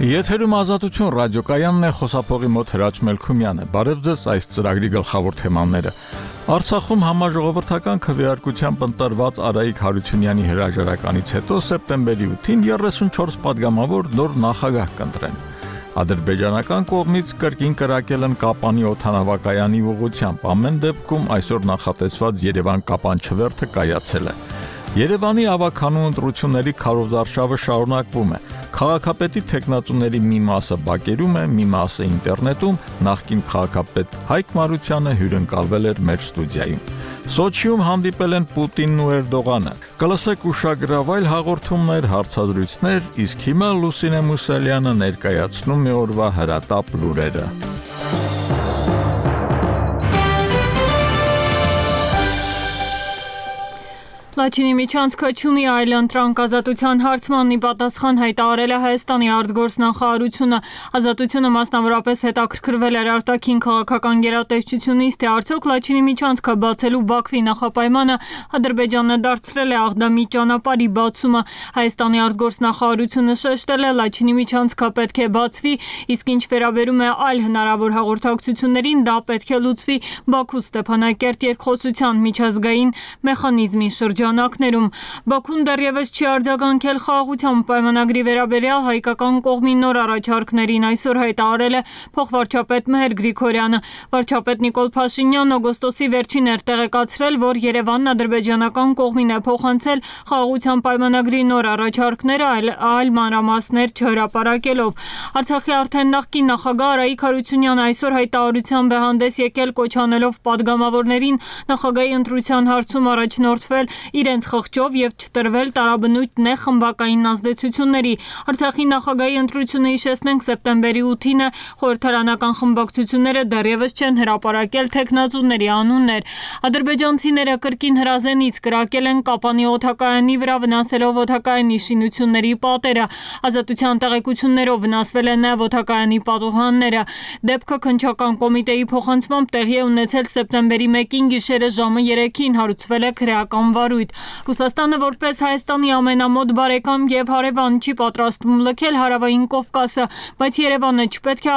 Եթերում Ազատություն ռադիոկայանն է, խոսափողի մոտ Հրաչ Մելքումյանը։ Բարև ձեզ, այս ծրագրի գլխավոր թեմաները։ Արցախում համաժողովրդական քվեարկությամբ ընտրված Արայիկ Հարությունյանի հրաժարականից հետո սեպտեմբերի 8-ին 34 падգամավոր նոր նախագահ կընտրեն։ Ադրբեջանական կողմից կրկին կրակել են Կապանի օդանավակայանի ուղղությամբ։ Ամեն դեպքում այսօր նախատեսված Երևան-Կապան չվերթը կայացել է։ Երևանի ավագանու ընտրությունների քարոզարշավը շարունակվում է։ Քաղաքապետի տեխնատուների մի մասը բակերում է, մի մասը ինտերնետում, նախկին քաղաքապետ Հայկ Մարությանը հյուրընկալվել էր մեր ստուդիայում։ Սոչիում հանդիպել են Պուտինն ու Էրդողանը։ Կլսեք ուշագրավ այլ հաղորդումներ, հարցազրույցներ, իսկ հիմա Լուսինե Մուսալյանը ներկայացնում է օրվա հրատապ լուրերը։ Լաչինի միջանցքը չունի այլ ընտրանք ազատության հարցմանն ի պատասխան հայտարարել է Հայաստանի արտգործնախարարությունը։ Ազատությունը մասնավորապես հետաքրքրվել էր արտաքին քաղաքական գերատեսչությունից, թե արդյոք Լաչինի միջանցքը բացելու Բաքվի նախապայմանը Ադրբեջանը դարձրել է աղդամի ճանապարհի բացումը։ Հայաստանի արտգործնախարարությունը շեշտել է Լաչինի միջանցքը պետք է բացվի, իսկ ինչ վերաբերում է այլ հնարավոր հաղորդակցություններին, դա պետք է լուծվի Բաքու-Ստեփանակերտ երկխոսության միջազգային մեխանիզմի շրջանակներում։ Բաքուն դեռևս չի արձագանքել խաղաղության պայմանագրի վերաբերյալ հայկական կողմի նոր առաջարկներին, այսօր հայտարարել է փոխվարչապետ Մեհեր Գրիգորյանը։ Վարչապետ Նիկոլ Փաշինյանն օգոստոսի վերջին էր տեղեկացրել, որ Երևանն ադրբեջանական կողմին է փոխանցել խաղաղության պայմանագրի նոր առաջարկները, այլ մանրամասներ չհրապարակելով։ Արցախի արդեն նախկին նախագահ Արայիկ Հարությունյանը այսօր հայտարարությամբ է հանդես եկել, կոչ անելով падգամավորներին նախագահի ընտրության հարցում առաջնորդվել իրենց խղճով եւ չտրվել տարաբնույթ նեղ խմբակային ազդեցությունների։ Արցախի նախագահի ընտրությունը հիշեցնենք սեպտեմբերի 8-ին է, խորհրդարանական խմբակցությունները դեռևս չեն հրապարակել տեխնատուների անուններ։ Ադրբեջանցիները կրկին հրազենից կրակել են Կապանի օդակայանի վրա, վնասելով օդակայանի շինությունների պատերը։ Ազատության տեղեկություններով վնասվել են նաև օդակայանի պատուհանները։ Դեպքը քննչական կոմիտեի փոխանցմամբ տեղի է ունեցել սեպտեմբերի 1-ին գիշերը ժամը 3-ին, հարուցվել է քրեական վարույթ։ Ռուսաստանը որպես Հայաստանի ամենամոտ բարեկամ եւ հարևան չի պատրաստվում լքել հարավային Կովկասը, բայց Երևանը չպետք է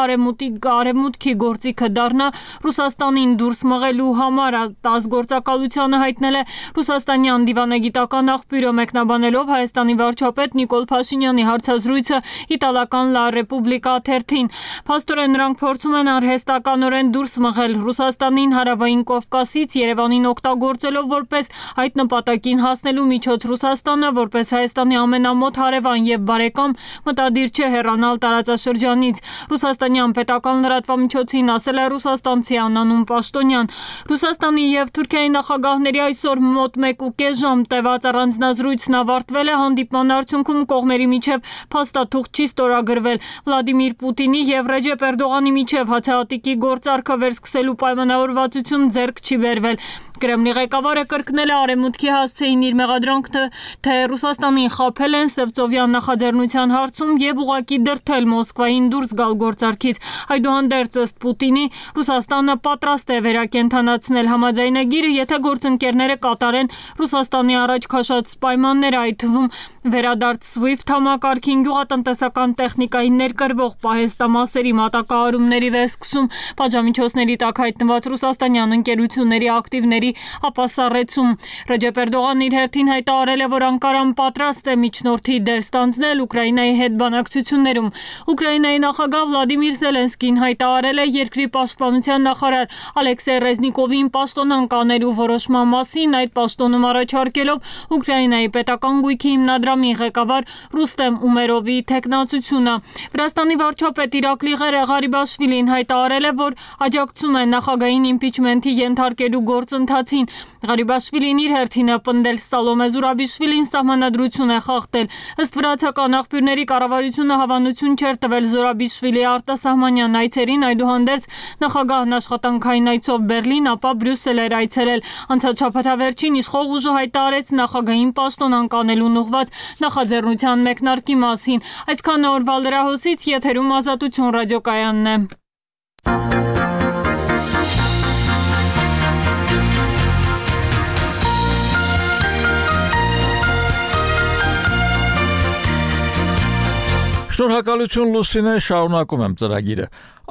արևմուտքի գործիքը դառնա Ռուսաստանին դուրս մղելու համար, ազգործակալությանը հայտնել է ռուսաստանյան դիվանագիտական աղբյուրը, մեկնաբանելով Հայաստանի վարչապետ Նիկոլ Փաշինյանի հարցազրույցը իտալական La Repubblica թերթին։ Փաստորեն նրանք փորձում են արհեստականորեն դուրս մղել Ռուսաստանին հարավային Կովկասից, Երևանին օգտագործելով որպես այդ նպատակին հասնելու միջոց։ Ռուսաստանը, որպես Հայաստանի ամենամոտ հարևան եւ բարեկամ, մտադիր չէ հեռանալ տարածաշրջանից։ Ռուսաստանյան պետական լրատվամիջոցին ասել է ռուսաստանցի անանուն պաշտոնյան։ Ռուսաստանի եւ Թուրքիայի նախագահների այսօր մոտ 1.5 ժամ տևած առանձնազրույցն ավարտվել է։ Հանդիպման արդյունքում կողմերի միջև փաստաթուղթ չի ստորագրվել։ Վլադիմիր Պուտինի եւ Ռեջեփ Էրդողանի միջև հացահատիկի գործարքը վերսկսելու պայմանավորվածություն ձեռք չի բերվել։ Կրեմլի ղեկավարը կրկնել է Արևմուտքի հասցեին իր մեղադրանքը, թե Ռուսաստանին խաբել են Սևծովյան նախաձեռնության հարցում եւ ուղղակի դրդել Մոսկվային դուրս գալ գործարքից։ Այդուհանդերձ ըստ Պուտինի, Ռուսաստանը պատրաստ է վերակենդանացնել համաձայնագիրը, եթե գործընկերները կատարեն Ռուսաստանի առաջ քաշած պայմանները, այդ թվում վերադարձ SWIFT համակարգին, գյուղատնտեսական տեխնիկային ներկրվող պահեստամասերի մատակարարումների վերսկսում, պատժամիջոցների տակ հայտնված ռուսաստանյան ընկերությունների ակտիվների ապասառեցում։ Ռեջեփ Էրդողանն իր հերթին հայտարարել է, որ Անկարան պատրաստ է միջնորդի դեր ստանձնել Ուկրաինայի հետ բանակցություններում։ Ուկրաինայի նախագահ Վլադիմիր Զելենսկին հայտարարել է երկրի պաշտպանության նախարար Ալեքսեյ Ռեզնիկովին պաշտոնանկ անելու որոշման մասին, այդ պաշտոնում առաջարկելով Ուկրաինայի պետական գույքի հիմնադրամի ղեկավար Ռուստեմ Ումերովի թեկնածությունը։ Վրաստանի վարչապետ Իրակլի Ղարիբաշվիլին հայտարարել է, որ աջակցում է նախագահային իմպիչմենթի ենթարկելու գործընթացին։ Ղարիբաշվիլին իր հերթին է պնդել Սալոմե Զուրաբիշվիլին սահմանադրություն է խախտել։ Ըստ վրացական աղբյուրների, կառավարությունը հավանություն չէր տվել Զուրաբիշվիլի արտասահմանյան այցերին, այդուհանդերձ նախագահն աշխատանքային այցով Բերլին, ապա Բրյուսել էր այցելել։ Անցած շաբաթավերջին իշխող ուժը հայտարարեց նախագահային պաշտոնանկ անելուն ուղղված նախաձեռնության մեկնարկի մասին։ Այսքան օրվա լրահոսից, եթերում Ազատություն ռադիոկայանն է։ Շնորհակալություն Լուսինե, շարունակում եմ ծրագիրը։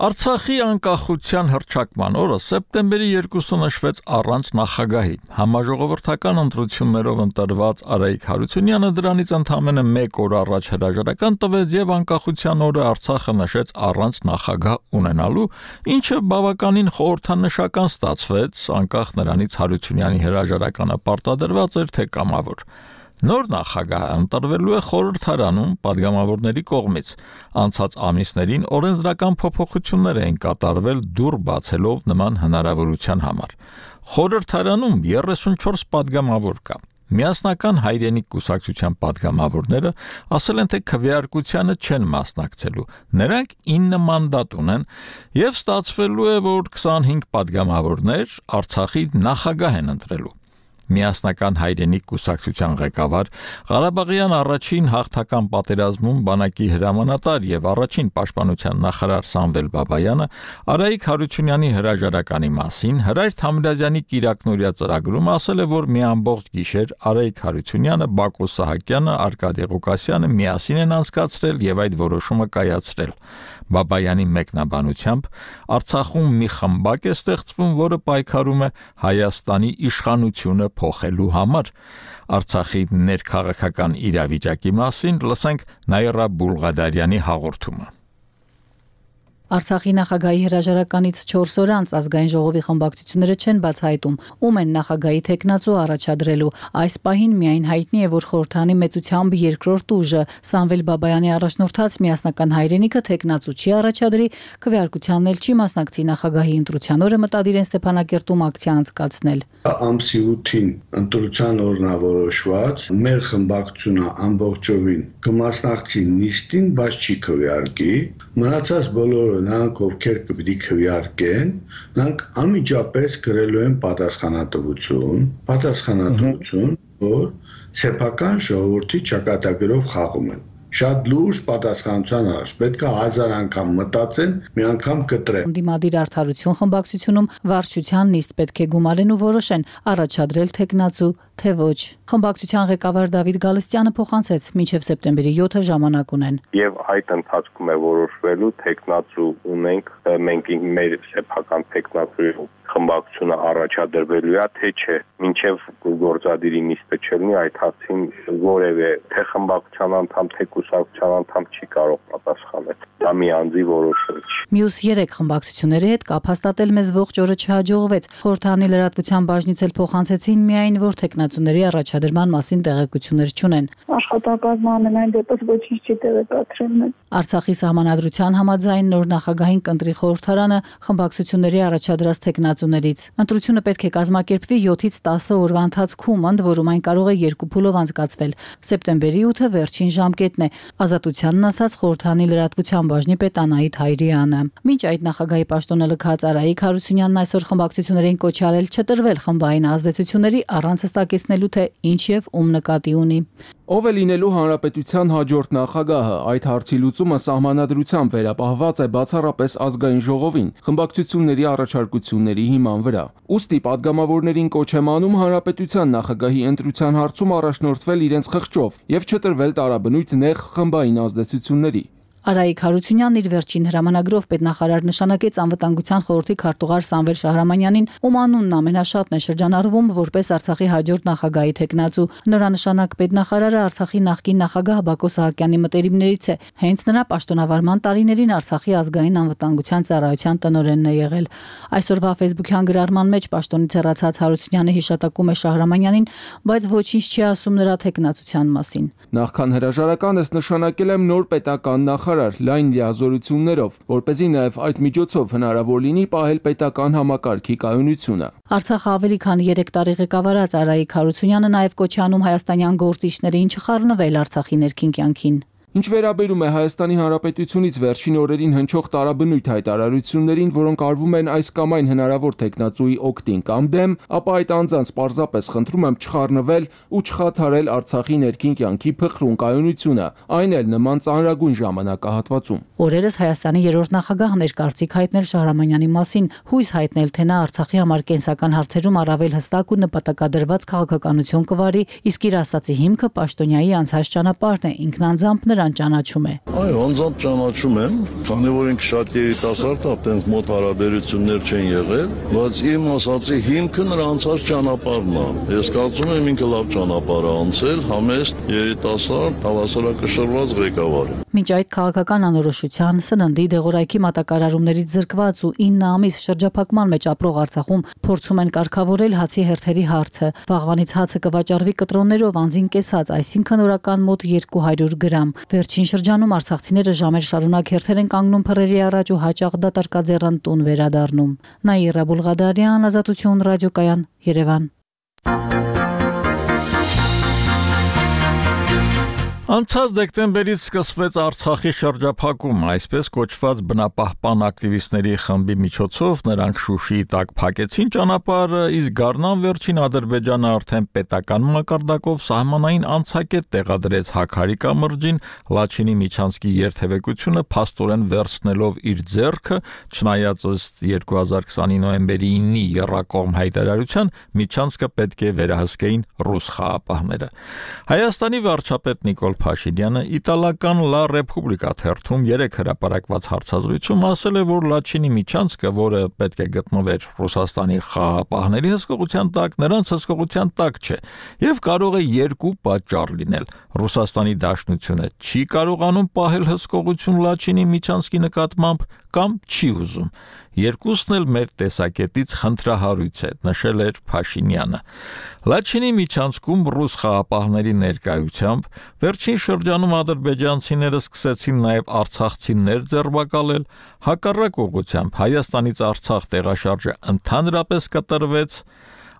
Արցախի անկախության հռչակման օրը սեպտեմբերի 2-ը նշվեց առանց նախագահի։ Համաժողովրդական ընտրություններով ընտրված Արայիկ Հարությունյանը դրանից ընդամենը 1 օր առաջ հրաժարական տվեց եւ անկախության օրը Արցախը նշեց առանց նախագահ ունենալու, ինչը բավականին խորհրդանշական ստացվեց, անկախ նրանից Հարությունյանի հրաժարականը պարտադրված էր թե կամավոր։ Նոր նախագահը ընտրվելու է խորհրդարանում падգամավորների կողմից։ Անցած ամիսներին օրենսդրական փոփոխություններ էին կատարվել դուռ բացելով նման հնարավորության համար։ Խորհրդարանում 34 падգամավոր կա։ Միասնական հայրենիք կուսակցության падգամավորները ասել են, թե քվեարկությանը չեն մասնակցելու։ Նրանք 9 մանդատ ունեն եւ ստացվելու է, որ 25 падգամավորներ Արցախի նախագահ են ընտրելու։ Միասնական հայրենիք կուսակցության ղեկավար Ղարաբաղյան առաջին հաղթական պատերազմում բանակի հրամանատար եւ առաջին պաշտպանության նախարար Սամվել Բաբայանը Արայիկ Հարությունյանի հրաժարականի մասին Հրայր Թամրազյանի կիրակնօրյա ծրագրում ասել է, որ մի ամբողջ գիշեր Արայիկ Հարությունյանը, Բակո Սահակյանը, Արկադի Ղուկասյանը միասին են անցկացրել եւ այդ որոշումը կայացրել։ Բաբայանի մեկնաբանությամբ Արցախում մի խմբակ է ստեղծվում, որը պայքարում է Հայաստանի իշխանությունը փոխելու համար։ Արցախի ներքաղաքական իրավիճակի մասին լսենք Նաիրա Բուլղադարյանի հաղորդումը։ Արցախի նախագահի հրաժարականից 4 օր անց ազգային ժողովի խմբակցությունները չեն բացահայտում, ում են նախագահի թեկնածու առաջադրելու։ Այս պահին միայն հայտնի է, որ խորհրդանի մեծությամբ երկրորդ ուժը Սամվել Բաբայանի առաջնորդած միասնական հայրենիքը թեկնածու չի առաջադրի, քվեարկությանն էլ չի մասնակցի նախագահի ընտրության օրը մտադիր են Ստեփանակերտում ակցիա անցկացնել։ Ամսի 8-ին ընտրության օրն է որոշված, մեր խմբակցությունը ամբողջովին կմասնակցի նիստին, բայց չի քվեարկի։ Մնացած բոլորը նրանք ովքեր կպիտի քվեարկեն, նրանք անմիջապես գրելու են պատասխանատվություն, որ սեփական ժողովրդի ճակատագրով խաղում են։ Շատ լուրջ պատասխանատվության առաջ պետք է 1000 անգամ մտածեն, մի անգամ կտրեն։ Դիմադիր արդարություն խմբակցությունում վարչության նիստ պետք է գումարեն ու որոշեն առաջադրել թեկնածու թե ոչ։ Խմբակցության ղեկավար Դավիթ Գալստյանը փոխանցեց մինչև սեպտեմբերի 7-ը ժամանակ ունեն։ Եվ այդ ընթացքում է որոշվելու թեկնածու ունենք, մենք մեր սեփական թեկնածու խմբակցությունը առաջադրվելու է թե չէ։ Մինչև գործադիրի նիստը չլինի, այդ հարցին որևէ թե խմբակցության անդամ, թե կուսակցության անդամ չի կարող պատասխանել։ Դա մի անձի որոշում չի։ Մյուս 3 խմբակցությունների հետ կապ հաստատել մեզ ողջ օրը չհաջողվեց։ Խորհրդանի լրատվության բաժնից էլ փոխանցեցին միայն, որ թեկնածուների առաջադրման մասին տեղեկություններ չունեն։ Աշխատակազմը ամենայն դեպս ոչինչ չի տեղեկացրել։ Արցախի սահմանադրության համաձայն նոր նախագահին կընտրի խորհրդարանը խմբակցությունների առաջադրած թեկնածուներից։ Ընտրությունը պետք է կազմակերպվի 7-ից 10 օրվա ընթացքում, ընդ որում այն կարող է 2 փուլով անցկացվել։ Սեպտեմբերի 8-ը վերջին ժամկետն է, Ազատությանն ասաց խորհրդանի լրատվության բաժնի պետ Անահիտ Հայրյանը։ Մինչ այդ նախագահի պաշտոնը լքած Արայիկ Հարությունյանն այսօր խմբակցություններին կոչ արել չտրվել խմբային ազդեցությունների առանց հստակեցնելու թե ինչ եւ ում նկատի ունի։ Ով է լինելու հանրապետության հաջորդ նախագահը, այդ հարցի լուծումը սահմանադրությամբ վերապահված է բացառապես ազգային ժողովին, խմբակցությունների առաջարկությունների հիման վրա։ Ուստի падգամավորներին կոչ եմ անում հանրապետության նախագահի ընտրության հարցում առաջնորդվել իրենց խղճով եւ չտրվել տարաբնույթ նեղ խմբային ազդեցությունների։ Արայիկ Հարությունյանն իր վերջին հրամանագրով պետնախարար նշանակեց անվտանգության խորհրդի քարտուղար Սամվել Շահրամանյանին, ում անունն ամենաշատն է շրջանառվում որպես Արցախի հաջորդ նախագահի թեկնածու։ Նորանշանակ պետնախարարը Արցախի նախկին նախագահ Բակո Սահակյանի մտերիմներից է։ Հենց նրա պաշտոնավարման տարիներին Արցախի ազգային անվտանգության ծառայության տնօրենն է եղել։ Այսօրվա Facebook-յան գրառման մեջ պաշտոնից հեռացած Հարությունյանը հիշատակում է Շահրամանյանին, բայց ոչինչ չի ասում նրա թեկնածության մասին։ Նախքան հրաժարականս նշանակել եմ նոր պետական նախարար լայն լիազորություններով, որպեսզի նաև այդ միջոցով հնարավոր լինի պահել պետական համակարգի կայունությունը։ Արցախը ավելի քան 3 տարի ղեկավարած Արայիկ Հարությունյանը նաև կոչ է անում հայաստանյան գործիչներին չխառնվել Արցախի ներքին կյանքին։ Ինչ վերաբերում է Հայաստանի Հանրապետությունից վերջին օրերին հնչող տարաբնույթ հայտարարություններին, որոնք արվում են այս կամ այն հնարավոր թեկնածուի օգտին կամ դեմ, ապա այդ անձանց պարզապես խնդրում եմ չխառնվել ու չխաթարել Արցախի ներքին կյանքի փխրուն կայունությունը, այն էլ նման ծանրագույն ժամանակահատվածում։ Օրերս Հայաստանի երրորդ նախագահն էր կարծիք հայտնել Շահրամանյանի մասին, հույս հայտնել, թե նա Արցախի համար կենսական հարցերում առավել հստակ ու նպատակադրված քաղաքականություն կվարի, իսկ իր ասացի հիմքը պաշտոնյայի անցած ճանապարհն է, ինքնանձամբ նրան նրան ճանաչում է։ Այո, անձամբ ճանաչում եմ, քանի որ ինքը շատ երիտասարդ է, այդպես մոտ հարաբերություններ չեն եղել, բայց իմ ասածի հիմքը նրա անցած ճանապարհն է։ Ես կարծում եմ ինքը լավ ճանապարհ է անցել, համեստ, երիտասարդ, հավասարակշռված ղեկավար է։ Մինչ այդ քաղաքական անորոշության, սննդի դեղորայքի մատակարարումներից զրկված ու 9 ամիս շրջափակման մեջ ապրող Արցախում փորձում են կարգավորել հացի հերթերի հարցը։ Վաղվանից հացը կվաճառվի կտրոններով անձին կեսած, այսինքն օրական մոտ 200 գրամ։ Վերջին շրջանում արցախցիները ժամեր շարունակ հերթեր են կանգնում փռերի առաջ ու հաճախ դատարկաձեռն տուն վերադառնում։ Նաիրա Բուլղադարյան, Ազատություն ռադիոկայան, Երևան։ Անցած դեկտեմբերից սկսվեց Արցախի շրջափակում, այսպես կոչված բնապահպան ակտիվիստների խմբի միջոցով նրանք Շուշիի տակ փակեցին ճանապարհը, իսկ Գառնան վերջին Ադրբեջանը արդեն պետական մակարդակով սահմանային անցակետ տեղադրեց Հաքարի կամրջին, Լաչինի Միչանսկի երթևեկությունը փաստորեն վերցնելով իր ձեռքը, չնայած ըստ 2020-ի նոյեմբերի 9-ի եռակողմ հայտարարության Միչանսկը պետք է վերահսկեին ռուս խաղապահները։ Հայաստանի վարչապետ Նիկոլ Փաշինյանը իտալական Լա Ռեպուբլիկա թերթում 3 հրապարակված հարցազրույցում ասել է, որ Լաչինի Միչանսկը, որը պետք է գտնվեր Ռուսաստանի խաղապահների հսկողության տակ, նրանց հսկողության տակ չէ եւ կարող է երկու պատճառ լինել։ Ռուսաստանի Դաշնությունը չի կարողանում պահել հսկողություն Լաչինի Միչանսկի նկատմամբ կամ չի ուզում։ Երկուսն էլ մեր տեսակետից խնդրահարույց է, նշել էր Փաշինյանը։ Լաչինի Միչանսկում ռուս խաղապահների ներկայությամբ վերջին շրջանում ադրբեջանցիները սկսեցին նաև արցախցիներ ձերբակալել, հակառակ ուղղությամբ Հայաստանից Արցախ տեղաշարժը ընդհանրապես կտրվեց։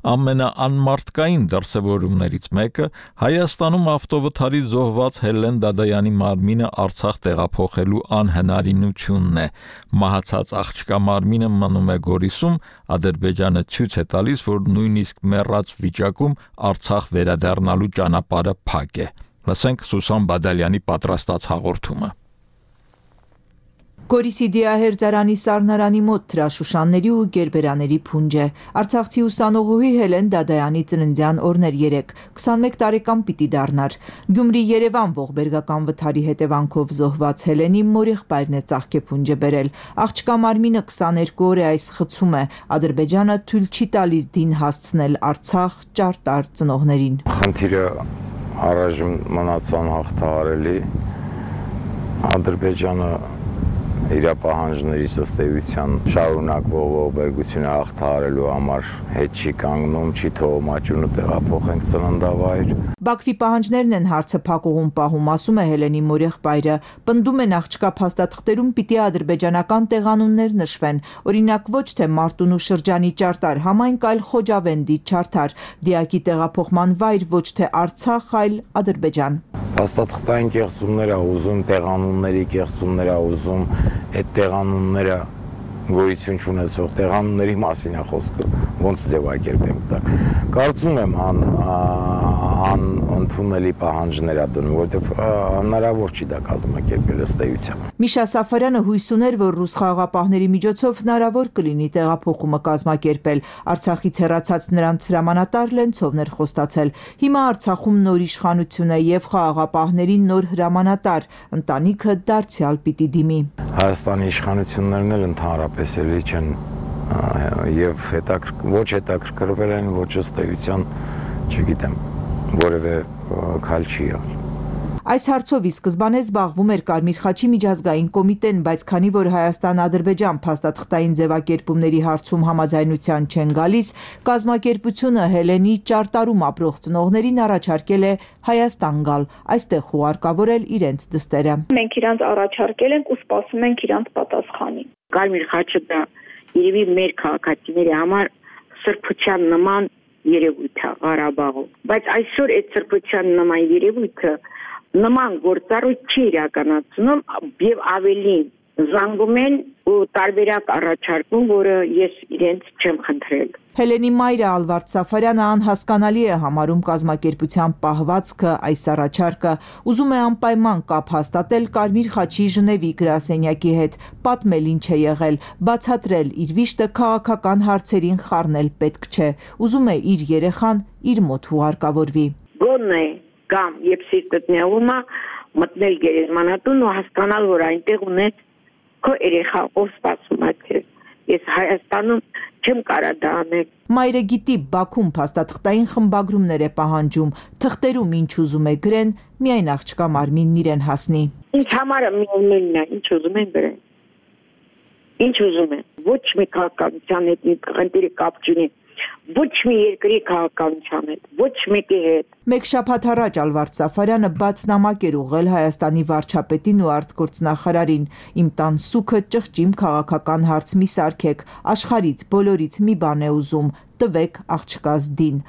Ամենաանմարտկային դրսևորումներից մեկը Հայաստանում ավտովթարից զոհված Հելեն Դադայանի մարմինը Արցախ տեղափոխելու անհնարինությունն է։ Մահացած աղջկա մարմինը մնում է Գորիսում, Ադրբեջանը ցույց է տալիս, որ նույնիսկ մեռած վիճակում Արցախ վերադառնալու ճանապարհը փակ է։ Լսենք Սուսան Բադալյանի պատրաստած հաղորդումը։ Գորիսի Դիահերձարանի սառնարանի մոտ թրաշուշանների ու գերբերաների փունջ է։ Արցախցի ուսանողուհի Հելեն Դադայանի ծննդյան օրն էր 3, 21 տարեկան պիտի դառնար։ Գյումրի-Երևան ողբերգական վթարի հետևանքով զոհված Հելենի մորեղբայրն է ծաղկեփունջը բերել։ Աղջկա մարմինը 22 օր է այս խցում է։ Ադրբեջանը թույլ չի տալիս դին հասցնել Արցախ ճարտար ծնողներին։ Խնդիրը առայժմ մնացան հաղթահարելի։ Ադրբեջանը իր պահանջների ըստ էության շարունակվող ողբերգությունը հաղթահարելու համար հետ չի կանգնում, չի թողում աճյունը տեղափոխենք ծննդավայր։ Բաքվի պահանջներն են հարցը փակուղում պահում, ասում է Հելենի մորեղբայրը։ Պնդում են աղջկա փաստաթղթերում պիտի ադրբեջանական տեղանուններ նշվեն, օրինակ ոչ թե Մարտունու շրջանի ճարտար համայնք, այլ Խոջավենդի ճարտար, դիակի տեղափոխման վայր ոչ թե Արցախ, այլ Ադրբեջան։ Փաստաթղթային կեղծումներ ա ուզում, տեղանունների կեղծումներ ա ուզում, այդ տեղանունները գոյություն չունեցող տեղանունների մասին է խոսքը, ոնց ձևակերպենք դա։ Կարծում եմ անընդունելի պահանջներ ա դնում, որովհետև հնարավոր չի դա կազմակերպել ըստ էության։ Միշա Սաֆարյանը հույս ուներ, որ ռուս խաղաղապահների միջոցով հնարավոր կլինի տեղափոխումը կազմակերպել։ Արցախից հեռացած նրանց հրամանատար Լենցովն էր խոստացել։ Հիմա Արցախում նոր իշխանություն է եւ խաղաղապահների նոր հրամանատար, ընտանիքը դարձյալ պիտի դիմի։ Հայաստանի իշխանություններն էլ ընդհանրապես էլի չեն եւ ոչ հետաքրքրվել են, ոչ ըստ էության, չգիտեմ, որևէ քայլ չի եղել։ Այս հարցով ի սկզբանե զբաղվում էր Կարմիր խաչի միջազգային կոմիտեն, բայց քանի որ Հայաստան-Ադրբեջան փաստաթղթային ձևակերպումների հարցում համաձայնության չեն գալիս, կազմակերպությունը Հելենի ճարտարում ապրող ծնողներին առաջարկել է Հայաստան գալ, այստեղ ուղարկավորել իրենց դստերը։ Մենք իրանց առաջարկել ենք ու սպասում ենք իրանց պատասխանին։ Կարմիր խաչը դա երևի մեր քաղաքացիների համար սրբության նման երևույթ է Ղարաբաղում, բայց այսօր այդ սրբության նման երևույթը նման գործառույթ չի իրականացնում եւ ավելին զանգում են ու տարբերակ առաջարկում, որը ես իրենց չեմ խնդրել։ Հելենի մայրը Ալվարդ Սաֆարյանը անհասկանալի է համարում կազմակերպության պահվածքը, այս առաջարկը, ուզում է անպայման կապ հաստատել Կարմիր խաչի Ժնևի գրասենյակի հետ, պատմել ինչ է եղել, բացատրել իր վիշտը քաղաքական հարցերին խառնել պետք չէ, ուզում է իր երեխան իր մոտ ուղարկավորվի։ Գոնե կամ երբ սիրտդ նեղում է, մտնել գերեզմանատուն ու հասկանալ, որ այնտեղ ունես քո երեխա, ով սպասում է քեզ։ Ես Հայաստանում չեմ կարա դա անել։ Մայրը գիտի Բաքուն փաստաթղթային խմբագրումներ է պահանջում, թղթերում ինչ ուզում է գրեն, միայն աղջկա մարմինն իրեն հասնի։ Ինձ համար միևնույնն է, ինչ ուզում են գրեն։ Ինչ ուզում են։ Ոչ մի քաղաքականության հետ մի խնդիրի կապ չունի։ Ոչ մի երկրի քաղաքականության հետ, ոչ մեկի հետ։ Մեկ շաբաթ առաջ Ալվարդ Սաֆարյանը բաց նամակ էր ուղղել Հայաստանի վարչապետին ու արտգործնախարարին. «Իմ տան սուքը ճղճիմ քաղաքական հարց մի սարքեք, աշխարհից բոլորից մի բան է ուզում, տվեք աղջկաս դին»։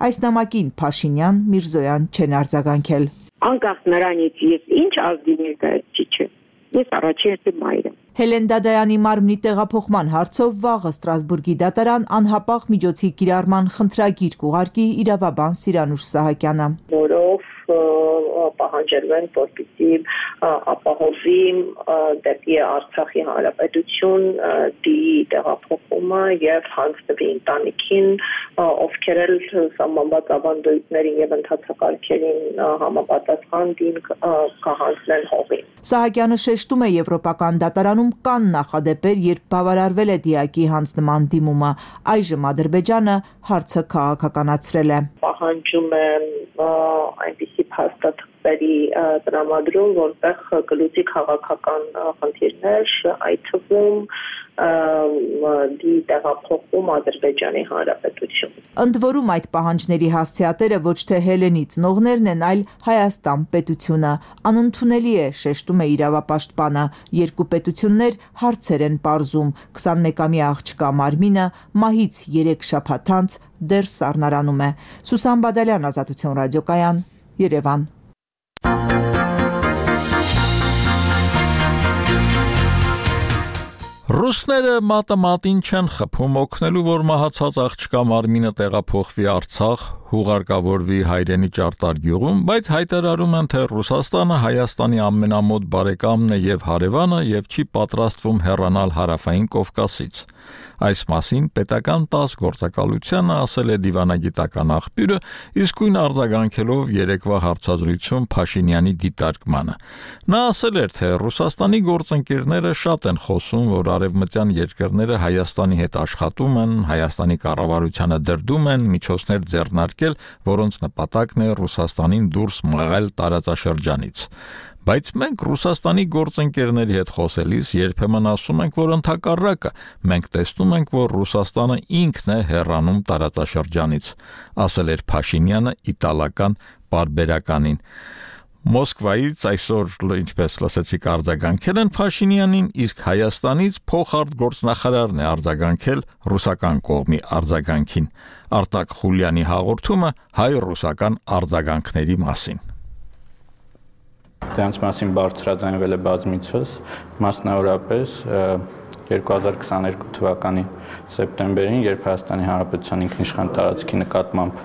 Այս նամակին Փաշինյան, Միրզոյան չեն արձագանքել։ Անկախ նրանից ես ինչ ազգի ներկայացուցիչ եմ, ես առաջին մայր եմ։ Հելեն Դադայանի մարմնի տեղափոխման հարցով վաղը Ստրասբուրգի դատարան անհապաղ միջոցի կիրառման խնդրագիր կուղարկի իրավաբան Սիրանուշ Սահակյանը, որով պահանջել որպեսզի ապահովի դեպի Արցախի Հանրապետություն դի տեղափոխումը եւ հանձնվի ընտանիքին, ովքեր էլ սահմանված ավանդույթներին եւ ընթացակարգերին համապատասխան դին կհանձնեն հողին։ Սահակյանը շեշտում է եվրոպական դատարանում կան նախադեպեր, երբ բավարարվել է դիակի հանձնման դիմումը, այժմ Ադրբեջանը հարցը քաղաքականացրել է։ Պահանջում է այնպիսի փաստաթղթերի տրամադրում, որտեղ գլուխի քաղաքական խնդիրներ, այդ թվում դի տեղափոխում Ադրբեջանի Հանրապետություն։ Ընդ որում այդ պահանջների հասցեատերը ոչ թե Հելենի ծնողներն են, այլ Հայաստան պետությունը։ Անընդունելի է, շեշտում է իրավապաշտպանը, երկու պետություններ հարցեր են պարզում, 21-ամյա աղջկա մարմինը մահից 3 շաբաթ անց դեռ սառնարանում է։ Սուսան Բադալյան, Ազատություն ռադիոկայան, Երևան։ Ռուսները մատը մատին չեն խփում օգնելու, որ մահացած աղջկա մարմինը տեղափոխվի Արցախ, հուղարկավորվի հայրենի Ճարտար գյուղում, բայց հայտարարում են, թե Ռուսաստանը Հայաստանի ամենամոտ բարեկամն է եւ հարևանը եւ չի պատրաստվում հեռանալ Հարավային Կովկասից։ Այս մասին պետական 10 գործակալությանը ասել է դիվանագիտական աղբյուրը, իսկույն արձագանքելով երեկվա հարցազրույցում Փաշինյանի դիտարկմանը։ Նա ասել էր, թե Ռուսաստանի գործընկերները շատ են խոսում, որ արևմտյան երկրները Հայաստանի հետ աշխատում են, Հայաստանի կառավարությանը դրդում են միջոցներ ձեռնարկել, որոնց նպատակն է Ռուսաստանին դուրս մղել տարածաշրջանից։ Բայց մենք Ռուսաստանի գործընկերների հետ խոսելիս երբեմն ասում ենք, որ ընդհակառակը մենք տեսնում ենք, որ Ռուսաստանը ինքն է հեռանում տարածաշրջանից, ասել էր Փաշինյանը իտալական պարբերականին։ Մոսկվայից այսօր, ինչպես լսեցիք, արձագանքել են Փաշինյանին, իսկ Հայաստանից փոխարտգործնախարարն է արձագանքել ռուսական կողմի արձագանքին։ Արտակ Խուլյանի հաղորդումը հայ-ռուսական արձագանքների մասին։ Դրանց մասին բարձրաձայնվել է բազմիցս, մասնավորապես 2022 թվականի սեպտեմբերին, երբ Հայաստանի Հանրապետության ինքնիշխան տարածքի նկատմամբ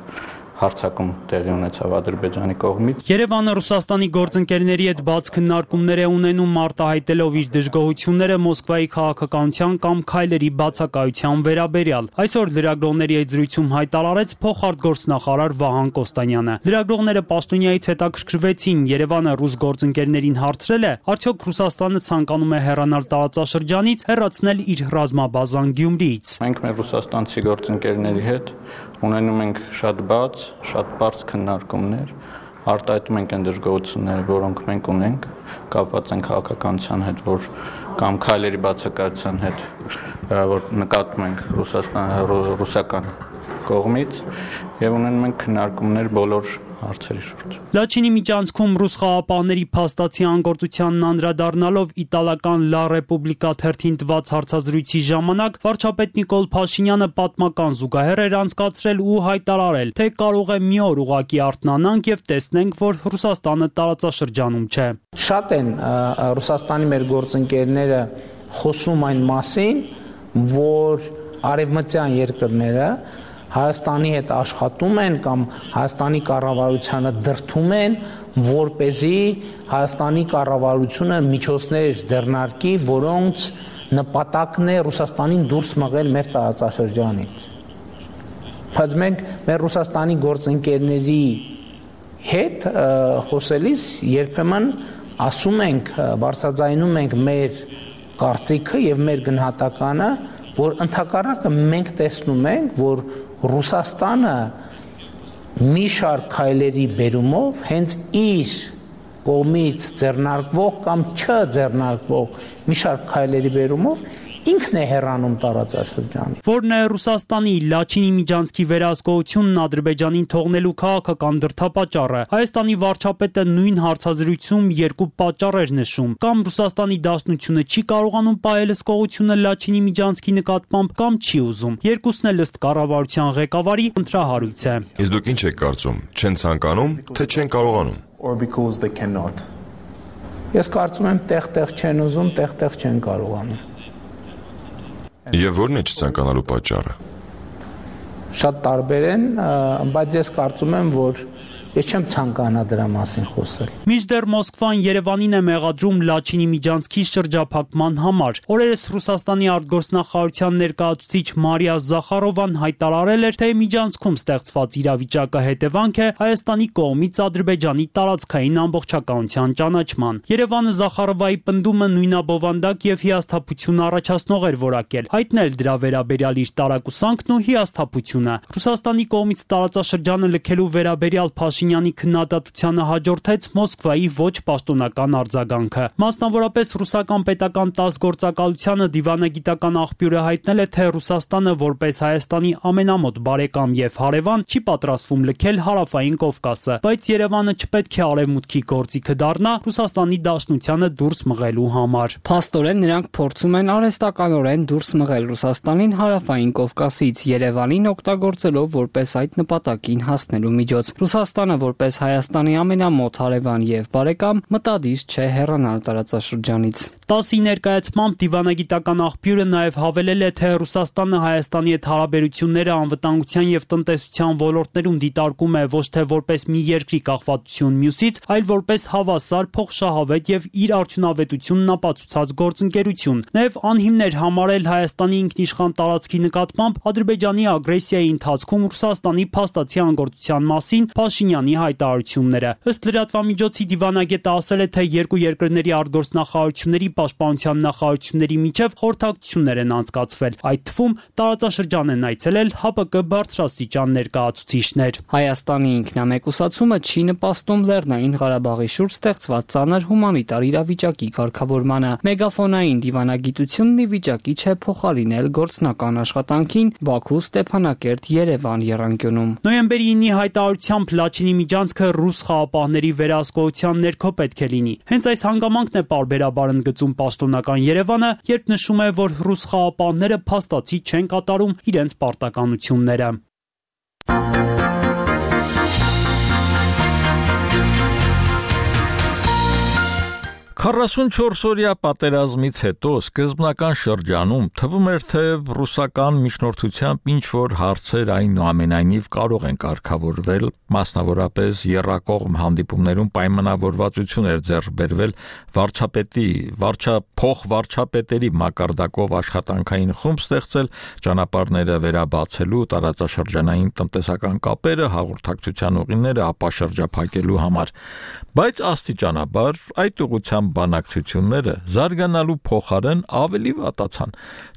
հարցակում տեղի ունեցավ Ադրբեջանի կողմից։ Երևանը Ռուսաստանի գործընկերների հետ բաց քննարկումներ է ունենում, արտահայտելով իր դժգոհությունները Մոսկվայի քաղաքականության կամ քայլերի բացակայության վերաբերյալ։ Այսօր լրագրողների հետ զրույցում հայտարարեց փոխարտգործնախարար Վահան Կոստանյանը։ Լրագրողները պաշտոնյայից հետաքրքրվեցին, Երևանը ռուս գործընկերներին հարցրել է, արդյոք Ռուսաստանը ցանկանում է հեռանալ տարածաշրջանից, հեռացնել իր ռազմաբազան Գյումրիից։ Մենք մեր ռուսաստանցի գործընկերների հետ ունենում ենք շատ բաց, շատ բարձ քննարկումներ, արտահայտում ենք այն դժգոհությունները, որոնք մենք ունենք, կապված են քաղաքականության հետ, որ կամ քայլերի բացակայության հետ, որ նկատում ենք ռուսական կողմից, եւ ունենում ենք քննարկումներ բոլոր հարցերի շուրջ։ Լաչինի միջանցքում ռուս խաղապահների փաստացի անգործությանն անդրադառնալով իտալական Լա Ռեպուբլիկա թերթին տված հարցազրույցի ժամանակ վարչապետ Նիկոլ Փաշինյանը պատմական զուգահեռ էր անցկացրել ու հայտարարել, թե կարող է մի օր ուղղակի արթնանանք եւ տեսնենք, որ Ռուսաստանը տարածաշրջանում չէ։ Շատ են Ռուսաստանի մեր գործընկերները խոսում այն մասին, որ արևմտյան երկրները Հայաստանի հետ աշխատում են կամ Հայաստանի կառավարությանը դրդում են, որպեսզի Հայաստանի կառավարությունը միջոցներ ձեռնարկի, որոնց նպատակն է Ռուսաստանին դուրս մղել մեր տարածաշրջանից։ Բայց մենք մեր Ռուսաստանի գործընկերների հետ խոսելիս երբեմն ասում ենք, բարձրաձայնում ենք մեր կարծիքը եւ մեր գնահատականը, որ ընդհակառակը մենք տեսնում ենք, որ Ռուսաստանը մի շարք քայլերի բերումով հենց իր կողմից ձեռնարկվող կամ չձեռնարկվող մի շարք քայլերի բերումով ինքն է հեռանում տարածաշրջանից։ Որն է Ռուսաստանի Լաչինի միջանցքի վերահսկողությունն Ադրբեջանին թողնելու քաղաքական դրդապատճառը։ Հայաստանի վարչապետը նույն հարցազրույցում երկու պատճառ էր նշում. կամ Ռուսաստանի Դաշնությունը չի կարողանում պահել հսկողությունը Լաչինի միջանցքի նկատմամբ, կամ չի ուզում։ Երկուսն էլ ըստ կառավարության ղեկավարի ընտրահարույց է։ Իսկ դուք ինչ եք կարծում, չեն ցանկանում, թե չեն կարողանում։ Ես կարծում եմ տեղ-տեղ չեն ուզում, տեղ-տեղ չեն կարողանում։ Եվ ո՞րն է չցանկանալու պատճառը։ Շատ տարբեր են, բայց ես կարծում եմ, որ ես չեմ ցանկանա դրա մասին խոսել։ Մինչդեռ Մոսկվան Երևանին է մեղադրում Լաչինի միջանցքի շրջափակման համար։ Օրերս Ռուսաստանի արտգործնախարարության ներկայացուցիչ Մարիա Զախարովան հայտարարել էր, թե միջանցքում ստեղծված իրավիճակը հետևանք է Հայաստանի կողմից Ադրբեջանի տարածքային ամբողջականության ճանաչման։ Երևանը Զախարովայի պնդումը նույնաբովանդակ եւ հիասթափություն առաջացնող էր որակել, հայտնել դրա վերաբերյալ իր տարակուսանքն ու հիասթափությունը։ Ռուսաստանի կողմից տարածաշրջանը լքելու վերաբերյալ Փաշինյանի քննադատությանը հաջորդեց Մոսկվայի ոչ պաշտոնական արձագանքը։ Մասնավորապես ռուսական պետական ՏԱՍՍ գործակալությանը դիվանագիտական աղբյուրը հայտնել է, թե Ռուսաստանը որպես Հայաստանի ամենամոտ բարեկամ եւ հարևան չի պատրաստվում լքել Հարավային Կովկասը, բայց Երևանը չպետք է արևմուտքի գործիքը դառնա Ռուսաստանի Դաշնությանը դուրս մղելու համար։ Փաստորեն նրանք փորձում են արհեստականորեն դուրս մղել Ռուսաստանին Հարավային Կովկասից, Երևանին օգտագործելով որպես այդ նպատակին հասնելու միջոց։ Ռուսաստանը որպես Հայաստանի ամենամոտ հարևան եւ բարեկամ մտադիր չէ հեռանալ տարածաշրջանից։ ՏԱՍՍ-ի ներկայացմամբ դիվանագիտական աղբյուրը նաև հավելել է, թե Ռուսաստանը Հայաստանի հետ հարաբերությունները անվտանգության եւ տնտեսության ոլորտներում դիտարկում է ոչ թե որպես մի երկրի կախվածություն մյուսից, այլ որպես հավասար, փոխշահավետ եւ իր արդյունավետությունն ապացուցած գործընկերություն։ Նաև անհիմն էր համարել Հայաստանի ինքնիշխան տարածքի նկատմամբ Ադրբեջանի ագրեսիայի ընթացքում Ռուսաստանի փաստացի անգործության մասին Փաշինյանի հայտարարությունները։ Ըստ լրատվամիջոցի դիվանագետը ասել է, թե երկու երկրների արտգործնախարարությունների պաշտպանության նախարարությունների միջև խորհրդակցություններ են անցկացվել։ Այդ թվում տարածաշրջան են այցելել ՀԱՊԿ բարձրաստիճան ներկայացուցիչներ։ Հայաստանի ինքնամեկուսացումը չի նպաստում Լեռնային Ղարաբաղի շուրջ ստեղծված ծանր հումանիտար իրավիճակի կարգավորմանը։ Մեգաֆոնային դիվանագիտությունն ի վիճակի չէ փոխարինել գործնական աշխատանքին Բաքու, Ստեփանակերտ, Երևան եռանկյունում։ Նոյեմբերի 9-ի հայտարարությամբ Լաչինի միջանցքը ռուս խաղապահների վերահսկողության ներքո պետք է լինի։ Հենց այս հանգամանքն է պարբերաբար ընդգծում պաշտոնական Երևանը, երբ նշում է, որ ռուս խաղապահները փաստացի չեն կատարում իրենց պարտականությունները։ 44-օրյա պատերազմից հետո սկզբնական շրջանում թվում էր, թե ռուսական միջնորդությամբ ինչ-որ հարցեր այնուամենայնիվ կարող են կարգավորվել, մասնավորապես եռակողմ հանդիպումներում պայմանավորվածություն էր ձեռք բերվել փոխվարչապետերի մակարդակով աշխատանքային խումբ ստեղծել ճանապարհները վերաբացելու, տարածաշրջանային տնտեսական կապերը, հաղորդակցության ուղիները ապաշրջափակելու համար, բայց աստիճանաբար այդ ուղղությամբ բանակցությունները զարգանալու փոխարեն ավելի վատացան։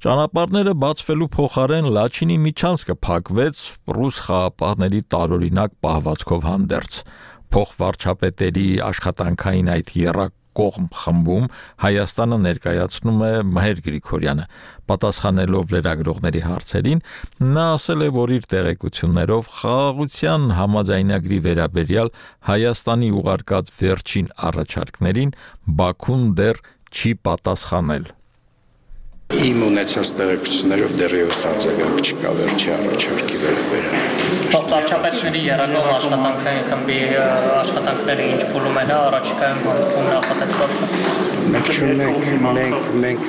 Ճանապարհները բացվելու փոխարեն Լաչինի միջանցքը փակվեց ռուս խաղապահների տարօրինակ պահվածքով հանդերձ։ Փոխվարչապետերի աշխատանքային այդ եռակողմ խմբում Հայաստանը ներկայացնում է Մհեր Գրիգորյանը։ Պատասխանելով լրագրողների հարցերին, նա ասել է, որ իր տեղեկություններով խաղաղության համաձայնագրի վերաբերյալ Հայաստանի ուղարկած վերջին առաջարկներին Բաքուն դեռ չի պատասխանել։ Իմ ունեցած տեղեկություններով դեռևս արձագանք չկա վերջի առաջարկի վերաբերյալ։ Վարչապետների եռակող աշխատանքային խմբի աշխատանքները ինչ փուլում են առաջիկայում նախատեսված։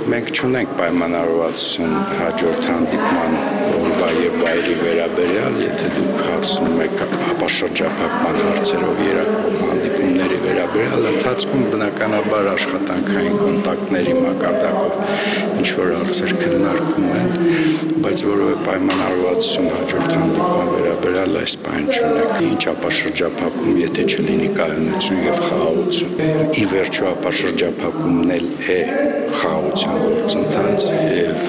Մենք չունենք պայմանավորվածություն հաջորդ հանդիպման օրվա եւ վայրի վերաբերյալ, եթե դուք հարցնում եք ապաշրջափակման հարցերով եռակող հանդիպումների վերաբերյալ ընթացքում բնականաբար աշխատանքային կոնտակտների մակարդակով ինչ-որ հարցեր քննարկվում են, բայց որևէ պայմանավորվածություն հաջորդ հանդիպման վերաբերյալ այս բան չունենք։ Ինչ ապաշրջափակում, եթե չլինի կայունություն եւ խաղաղություն։ Ի վերջո ապաշրջափակումն էլ է խաղաղության գործընթաց եւ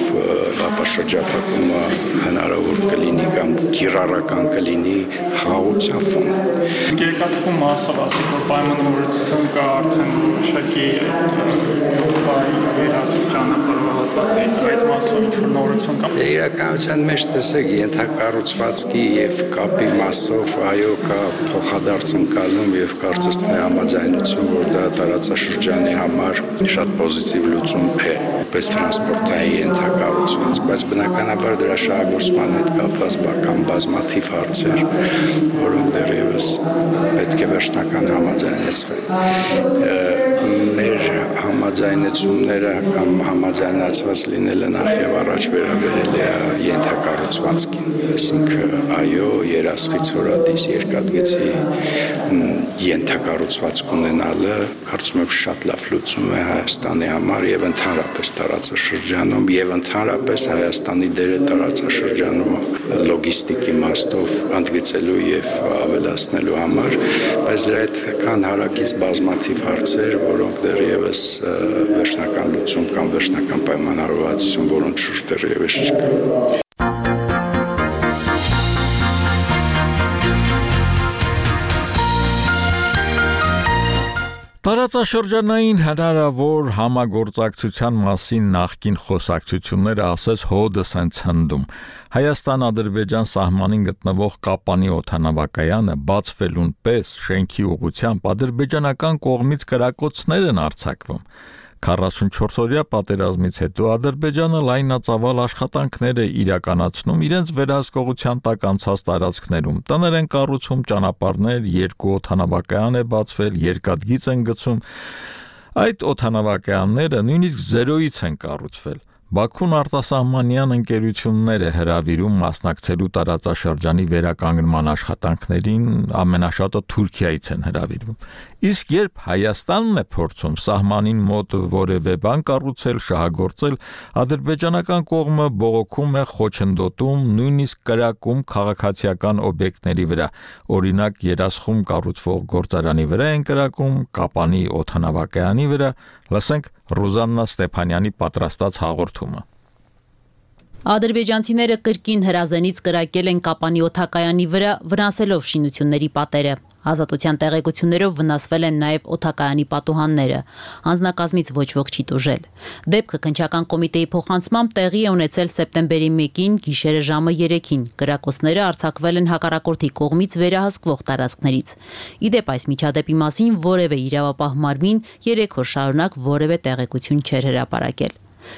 ապաշրջափակումը հնարավոր կլինի կամ կիրառական կլինի խաղաղության ֆոնը։ Իսկ երկաթուղու մասով ասեք, որ պայմանավորվածություն կա արդեն շակի երասիկ ճանապարհորդվածի այդ մասով ինչ-որ նորություն կա։ Իրականության մեջ տեսեք ենթակառուցվածքի եւ կապի մասով այո կա փոխադարձ ընկալում եւ կարծես թե համաձայնություն, որ դա տարածաշրջանի համար շատ պոզիտիվ լուծում է, պես տրանսպորտային ենթակառուցված, բայց բնականաբար դրա շահագործման հետ կապված բազմաթիվ հարցեր, որոնք դեռևս պետք է վերջնական համաձայնեցվեն։ Մեր համաձայնությունները կամ համաձայնացված լինելը նախ եւ առաջ վերաբերել է ենթակառուցվածքին, այսինքն այո, երասխից հորադիս երկաթգծի ենթակառուցվածք ունենալը կարծում եմ շատ լավ լուծում է Հայաստանի համար եւ ընդհանրապես տարածաշրջանում եւ ընդհանրապես Հայաստանի դերը տարածաշրջանում լոգիստիկի իմաստով ընդգծելու եւ ավելացնելու համար, բայց դրա հետ կան հարակից բազմաթիվ հարցեր, որոնք դեռևս վերջնական լուծում կամ վերջնական պայմանավորվածություն, որոնց շուրջ դեռևս չկա։ Տարածաշրջանային հնարավոր համագործակցության մասին նախկին խոսակցությունները ասես հոդս են ցնդում։ Հայաստան-Ադրբեջան սահմանին գտնվող Կապանի օդանավակայանը բացվելուն պես շենքի ուղղությամբ ադրբեջանական կողմից կրակոցներ են արձակվում։ 44-օրյա պատերազմից հետո Ադրբեջանը լայնածավալ աշխատանքներ է իրականացնում իրենց վերահսկողության տակ անցած տարածքներում։ Տներ են կառուցում, ճանապարհներ, 2 օդանավակայան է բացվել, երկաթգիծ են գցում։ Այդ օդանավակայանները նույնիսկ զերոյից են կառուցվել։ Բաքուն արտասահմանյան ընկերություններ է հրավիրում մասնակցելու տարածաշրջանի վերականգնման աշխատանքներին, ամենաշատը Թուրքիայից են հրավիրվում։ Իսկ երբ Հայաստանն է փորձում սահմանին մոտ որևէ բան կառուցել, շահագործել, ադրբեջանական կողմը բողոքում է, խոչընդոտում, նույնիսկ կրակում քաղաքացիական օբյեկտների վրա։ Օրինակ Երասխում կառուցվող գործարանի վրա են կրակում, Կապանի օդանավակայանի վրա։ Լսենք Ռուզաննա Ստեփանյանի պատրաստած հաղորդումը։ Ադրբեջանցիները կրկին հրազենից կրակել են Կապանի օդակայանի վրա, վնասելով շինությունների պատերը։ Ազատության տեղեկություններով վնասվել են նաև օդակայանի պատուհանները։ Անձնակազմից ոչ ոք չի տուժել։ Դեպքը քննչական կոմիտեի փոխանցմամբ տեղի է ունեցել սեպտեմբերի 1-ին գիշերը ժամը 3-ին։ Կրակոցները արձակվել են հակառակորդի կողմից վերահսկվող տարածքներից։ Իդեպ այս միջադեպի մասին որևէ իրավապահ մարմին 3 օր շարունակ որևէ տեղեկություն չէր հրապարակել։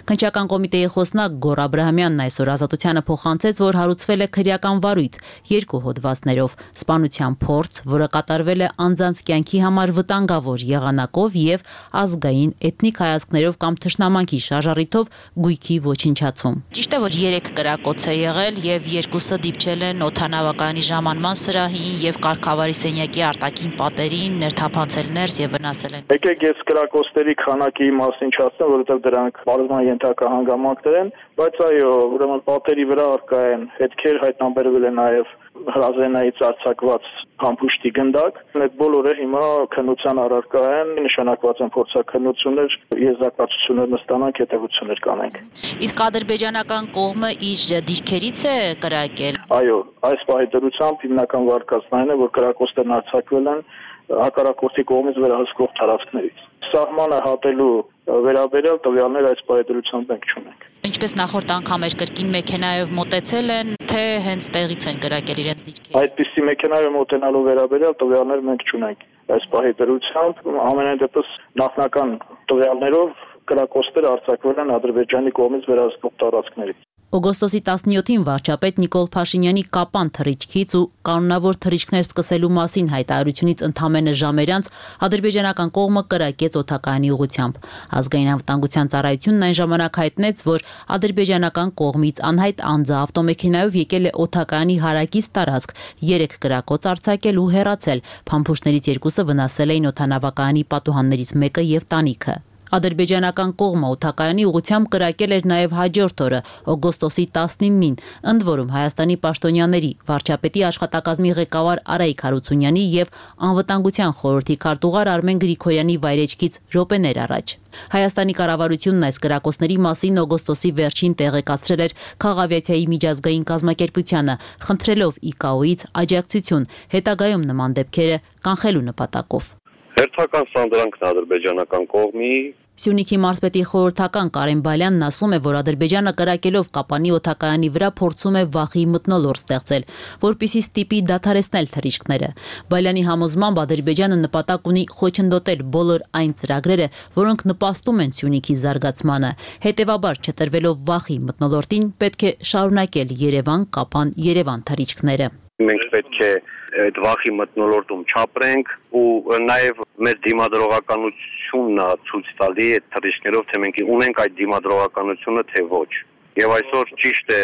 Քննչական կոմիտեի խոսնակ Գոռ Աբրահամյանն այսօր Ազատությանը փոխանցեց, որ հարուցվել է քրեական վարույթ 2 հոդվածներով՝ սպանության փորձ, որը կատարվել է անձանց կյանքի համար վտանգավոր եղանակով եւ ազգային էթնիկ հայացքներով կամ թշնամանքի շարժառիթով գույքի ոչնչացում։ Ճիշտ է, որ 3 կրակոց է եղել եւ 2-ը դիպչել են օդանավակայանի ժամանման սրահին եւ կարգավարի սենյակի արտաքին պատերին, ներթափանցել ներս եւ վնասել են։ Եկեք ես կրակոցների քանակի մասին չասեմ, որովհետեւ դրանք ենթակա հանգամանքներ են, բայց այո, ուրեմն պատերի վրա արկա են հետքեր, հայտնաբերվել է նաև հրազենայից արձակված համբուշտի գնդակ։ Այդ բոլորը հիմա քննության առարկա են, նշանակված են փորձաքննություններ, եզրակացություններ նստանանք, հետևություններ կանենք։ Իսկ ադրբեջանական կողմը իր դիրքերից է կրակել։ Այո, այս պահի դրությամբ հիմնական վարկածն այն է, որ կրակոցներն արձակվել են հակառակորդի կողմից վերահսկվող տարածքներից։ Սահմանը հատելու վերաբերյալ տվյալներ այս պայմանությամբ մենք չունենք։ Ինչպես նախորդ անգամ էր կրկին մեքենայով մոտեցել են, թե հենց տեղից են կրակել իրենց դիրքերը։ Այդպիսի մեքենայով մոտենալու վերաբերյալ տվյալներ մենք չունենք։ Այս պայմանությամբ ամենայն դեպս նախնական տվյալներով կրակոցները արձակվել են Ադրբեջանի կողմից վերահսկվող տարածքներից։ Օգոստոսի 17-ին վարչապետ Նիկոլ Փաշինյանի կապան թռիչքից ու կանոնավոր թռիչքներ սկսելու մասին հայտարարությունից ընդամենը ժամեր անց ադրբեջանական կողմը կրակեց օդակայանի ուղղությամբ։ Ազգային անվտանգության ծառայությունն այն ժամանակ հայտնեց, որ ադրբեջանական կողմից անհայտ անձը ավտոմեքենայով եկել է օդակայանի հարակից տարածք, 3 կրակոց արձակել ու հեռացել։ Փամփուշտներից 2-ը վնասել էին օդանավակայանի պատուհաններից մեկը եւ տանիքը։ Ադրբեջանական կողմը օդակայանի ուղղությամբ կրակել էր նաև հաջորդ օրը, օգոստոսի 19-ին, ընդ որում Հայաստանի պաշտոնյաների, վարչապետի աշխատակազմի ղեկավար Արայիկ Հարությունյանի եւ անվտանգության խորհրդի քարտուղար Արմեն Գրիգորյանի վայրեջքից րոպեներ առաջ։ Հայաստանի կառավարությունն այս կրակոցների մասին օգոստոսի վերջին տեղեկացրել էր Խաղավիացիայի միջազգային կազմակերպությանը, խնդրելով ICAO-ից աջակցություն հետագայում նման դեպքերը կանխելու նպատակով։ Հերթական սանդրանքն ադրբեջանական կողմի Սյունիքի մարզպետի խորհրդական Կարեն Բալյանն ասում է, որ Ադրբեջանը կրակելով Կապանի օդակայանի վրա փորձում է վախի մթնոլորտ ստեղծել, որպեսզի ստիպի դադարեցնել թռիչքները։ Բալյանի համոզմամբ Ադրբեջանը նպատակ ունի խոչընդոտել բոլոր այն ծրագրերը, որոնք նպաստում են Սյունիքի զարգացմանը։ Հետևաբար, չտրվելով վախի մթնոլորտին, պետք է շարունակել Երևան-Կապան-Երևան թռիչքները։ Մենք պետք է այդ վախի մթնոլորտում չապրենք ու նաև մեր դիմադրողականությունն է ցույց տալի այդ թռիչքներով, թե մենք ունենք այդ դիմադրողականությունը, թե ոչ։ Եվ այսօր ճիշտ է,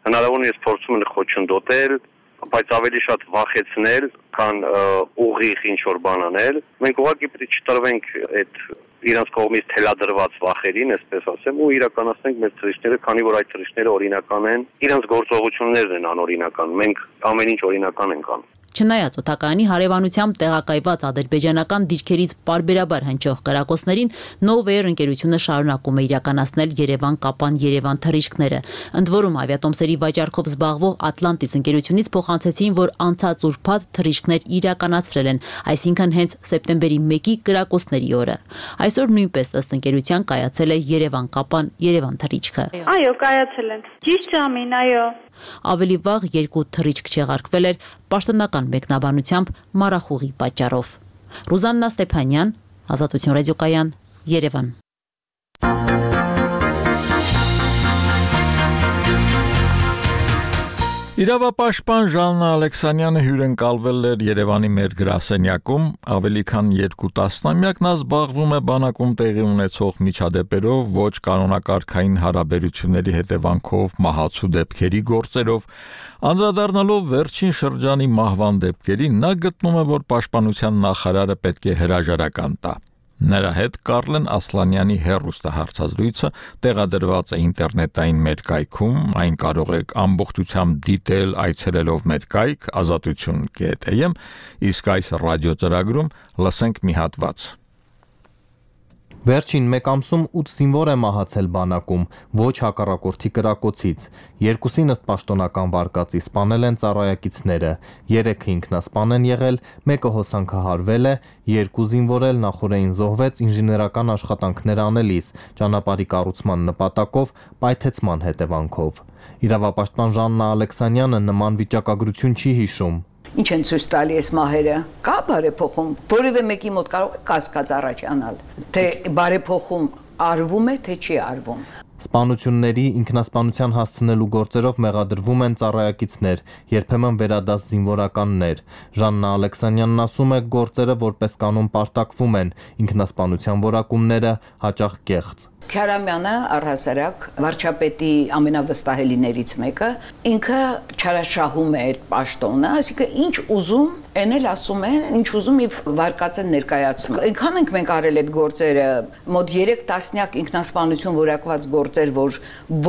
հնարավորինս փորձում են խոչընդոտել, բայց ավելի շատ վախեցնել, քան ուղիղ ինչ-որ բան անել։ Մենք ուղղակի պետք է չտրվենք այդ իրենց կողմից թելադրված վախերին, այսպես ասեմ, ու իրականացնենք մեր թռիչքները, քանի որ այդ թռիչքները օրինական են, իրենց գործողություններն են անօրինական։ Մենք ամեն ինչ օրինական ենք անում։ Չնայած օդակայանի հարևանությամբ տեղակայված ադրբեջանական դիրքերից պարբերաբար հնչող կրակոցներին, Novair ընկերությունը շարունակում է իրականացնել Երևան-Կապան-Երևան թռիչքները։ Ընդ որում ավիատոմսերի վաճառքով զբաղվող Atlantis ընկերությունից փոխանցեցին, որ անցած ուրբաթ թռիչքներ իրականացրել են, այսինքն հենց սեպտեմբերի 1-ի կրակոցների օրը։ Այսօր նույնպես ըստ ընկերության կայացել է Երևան-Կապան-Երևան թռիչքը։ Այո, կայացել են։ Ճիշտ ժամին, այո։ Ավելի վաղ 2 թռիչք չեղարկվել էր պաշտոնական մեկնաբանությամբ մառախուղի պատճառով։ Ռուզաննա Ստեփանյան, Ազատություն ռադիոկայան, Երևան։ Իրավապաշտպան Ժաննա Ալեքսանյանը հյուրընկալվել էր Երևանի մեր գրասենյակում, ավելի քան 2 տասնամյակ նա զբաղվում է բանակում տեղի ունեցող միջադեպերով, ոչ կանոնակարգային հարաբերությունների հետևանքով մահացու դեպքերի գործերով, անդրադառնալով վերջին շրջանի մահվան դեպքերին, նա գտնում է, որ պաշտպանության նախարարը պետք է հրաժարական տա։ Նրա հետ Կարլեն Ասլանյանի հեռուստահարցազրույցը տեղադրված է ինտերնետային մեր կայքում, այն կարող եք ամբողջությամբ դիտել այցելելով մեր կայք azatutun.am, իսկ այս ռադիոծրագրում լսենք մի հատված։ Վերջին մեկ ամսում 8 զինվոր է մահացել բանակում, ոչ հակառակորդի կրակոցից։ 2-ին ըստ պաշտոնական վարկածի սպանել են ծառայակիցները, 3-ը ինքնասպան են եղել, 1-ը հոսանքահարվել է, 2 զինվոր էլ նախօրեին զոհվեց ինժեներական աշխատանքներ անելիս, ճանապարհի կառուցման նպատակով, պայթեցման հետևանքով։ Իրավապաշտպան Ժաննա Ալեքսանյանը նման վիճակագրություն չի հիշում։ Ինչ են ցույց տալի այս մահերը։ Կա բարեփոխում, որևէ մեկի մոտ կարող է կասկած առաջանալ, թե բարեփոխում արվում է, թե չի արվում։ Սպանությունների ինքնասպանության հասցնելու գործերով մեղադրվում են ծառայակիցներ, երբեմն վերադաս զինվորականներ։ Ժաննա Ալեքսանյանն ասում է, գործերը որպես կանոն պարտակվում են, ինքնասպանության որակումները հաճախ կեղծ։ Քարամյանը առհասարակ վարչապետի ամենավստահելիներից մեկը, ինքը չարաշահում է այդ պաշտոնը, այսինքն ինչ ուզում են էլ ասում են, ինչ ուզում եւ վարկած են ներկայացնում։ Այնքան ենք մենք արել այդ գործերը, մոտ 3 տասնյակ ինքնասպանություն որակված գործեր, որ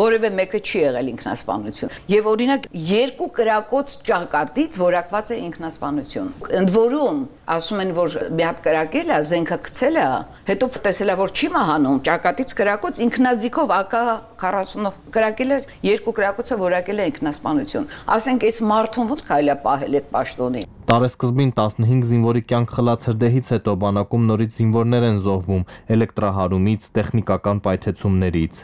որևէ մեկը չի եղել ինքնասպանություն։ Եվ օրինակ 2 կրակոց ճակատից որակված է ինքնասպանություն։ Ընդ որում ասում են, որ մի հատ կրակել է, զենքը գցել է, հետո տեսել է, որ չի մահանում, ճակատից կրակոց ինքնաձիգով AK-40 կրակել է, 2 կրակոցը որակել է ինքնասպանություն։ Ասենք այս մարդուն ո՞նց կարելի է պահել այդ պաշտոնին։ Տարեսկզբին 15 զինվորի կյանք խլած հրդեհից հետո բանակում նորից զինվորներ են զոհվում էլեկտրահարումից, տեխնիկական պայթեցումներից։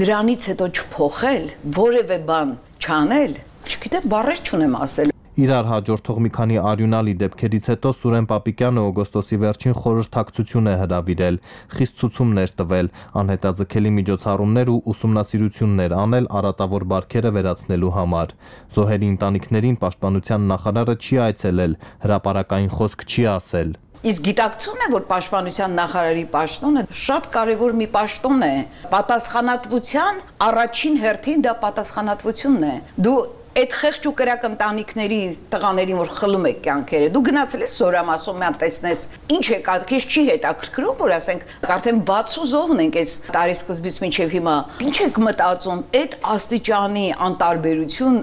Դրանից հետո չփոխել, որևէ բան չանել, չգիտեմ, բառեր չունեմ ասել։ Իրար հաջորդող մի քանի արյունալի դեպքերից հետո Սուրեն Պապիկյանը օգոստոսի վերջին խորհրդակցություն է հրավիրել, խիստ ցուցումներ տվել, անհետաձգելի միջոցառումներ ու ուսումնասիրություններ անել արատավոր բարքերը վերացնելու համար։ Զոհերի ընտանիքներին պաշտպանության նախարարը չի այցելել, հրապարակային խոսք չի ասել։ Իսկ գիտակցում է, որ պաշտպանության նախարարի պաշտոնը շատ կարևոր մի պաշտոն է։ Պատասխանատվության առաջին հերթին դա պատասխանատվությունն է։ Դու այդ խեղճ ու կրակ ընտանիքների տղաներին, որ խլում եք կյանքերը, դու գնացել ես Զորամասում տեսնես, ինչ է կատկից չի հետաքրքրում, որ ասենք արդեն 60 զոհն ենք այս տարի սկզբից մինչև հիմա։ Ինչ եք մտածում, այդ աստիճանի անտարբերություն։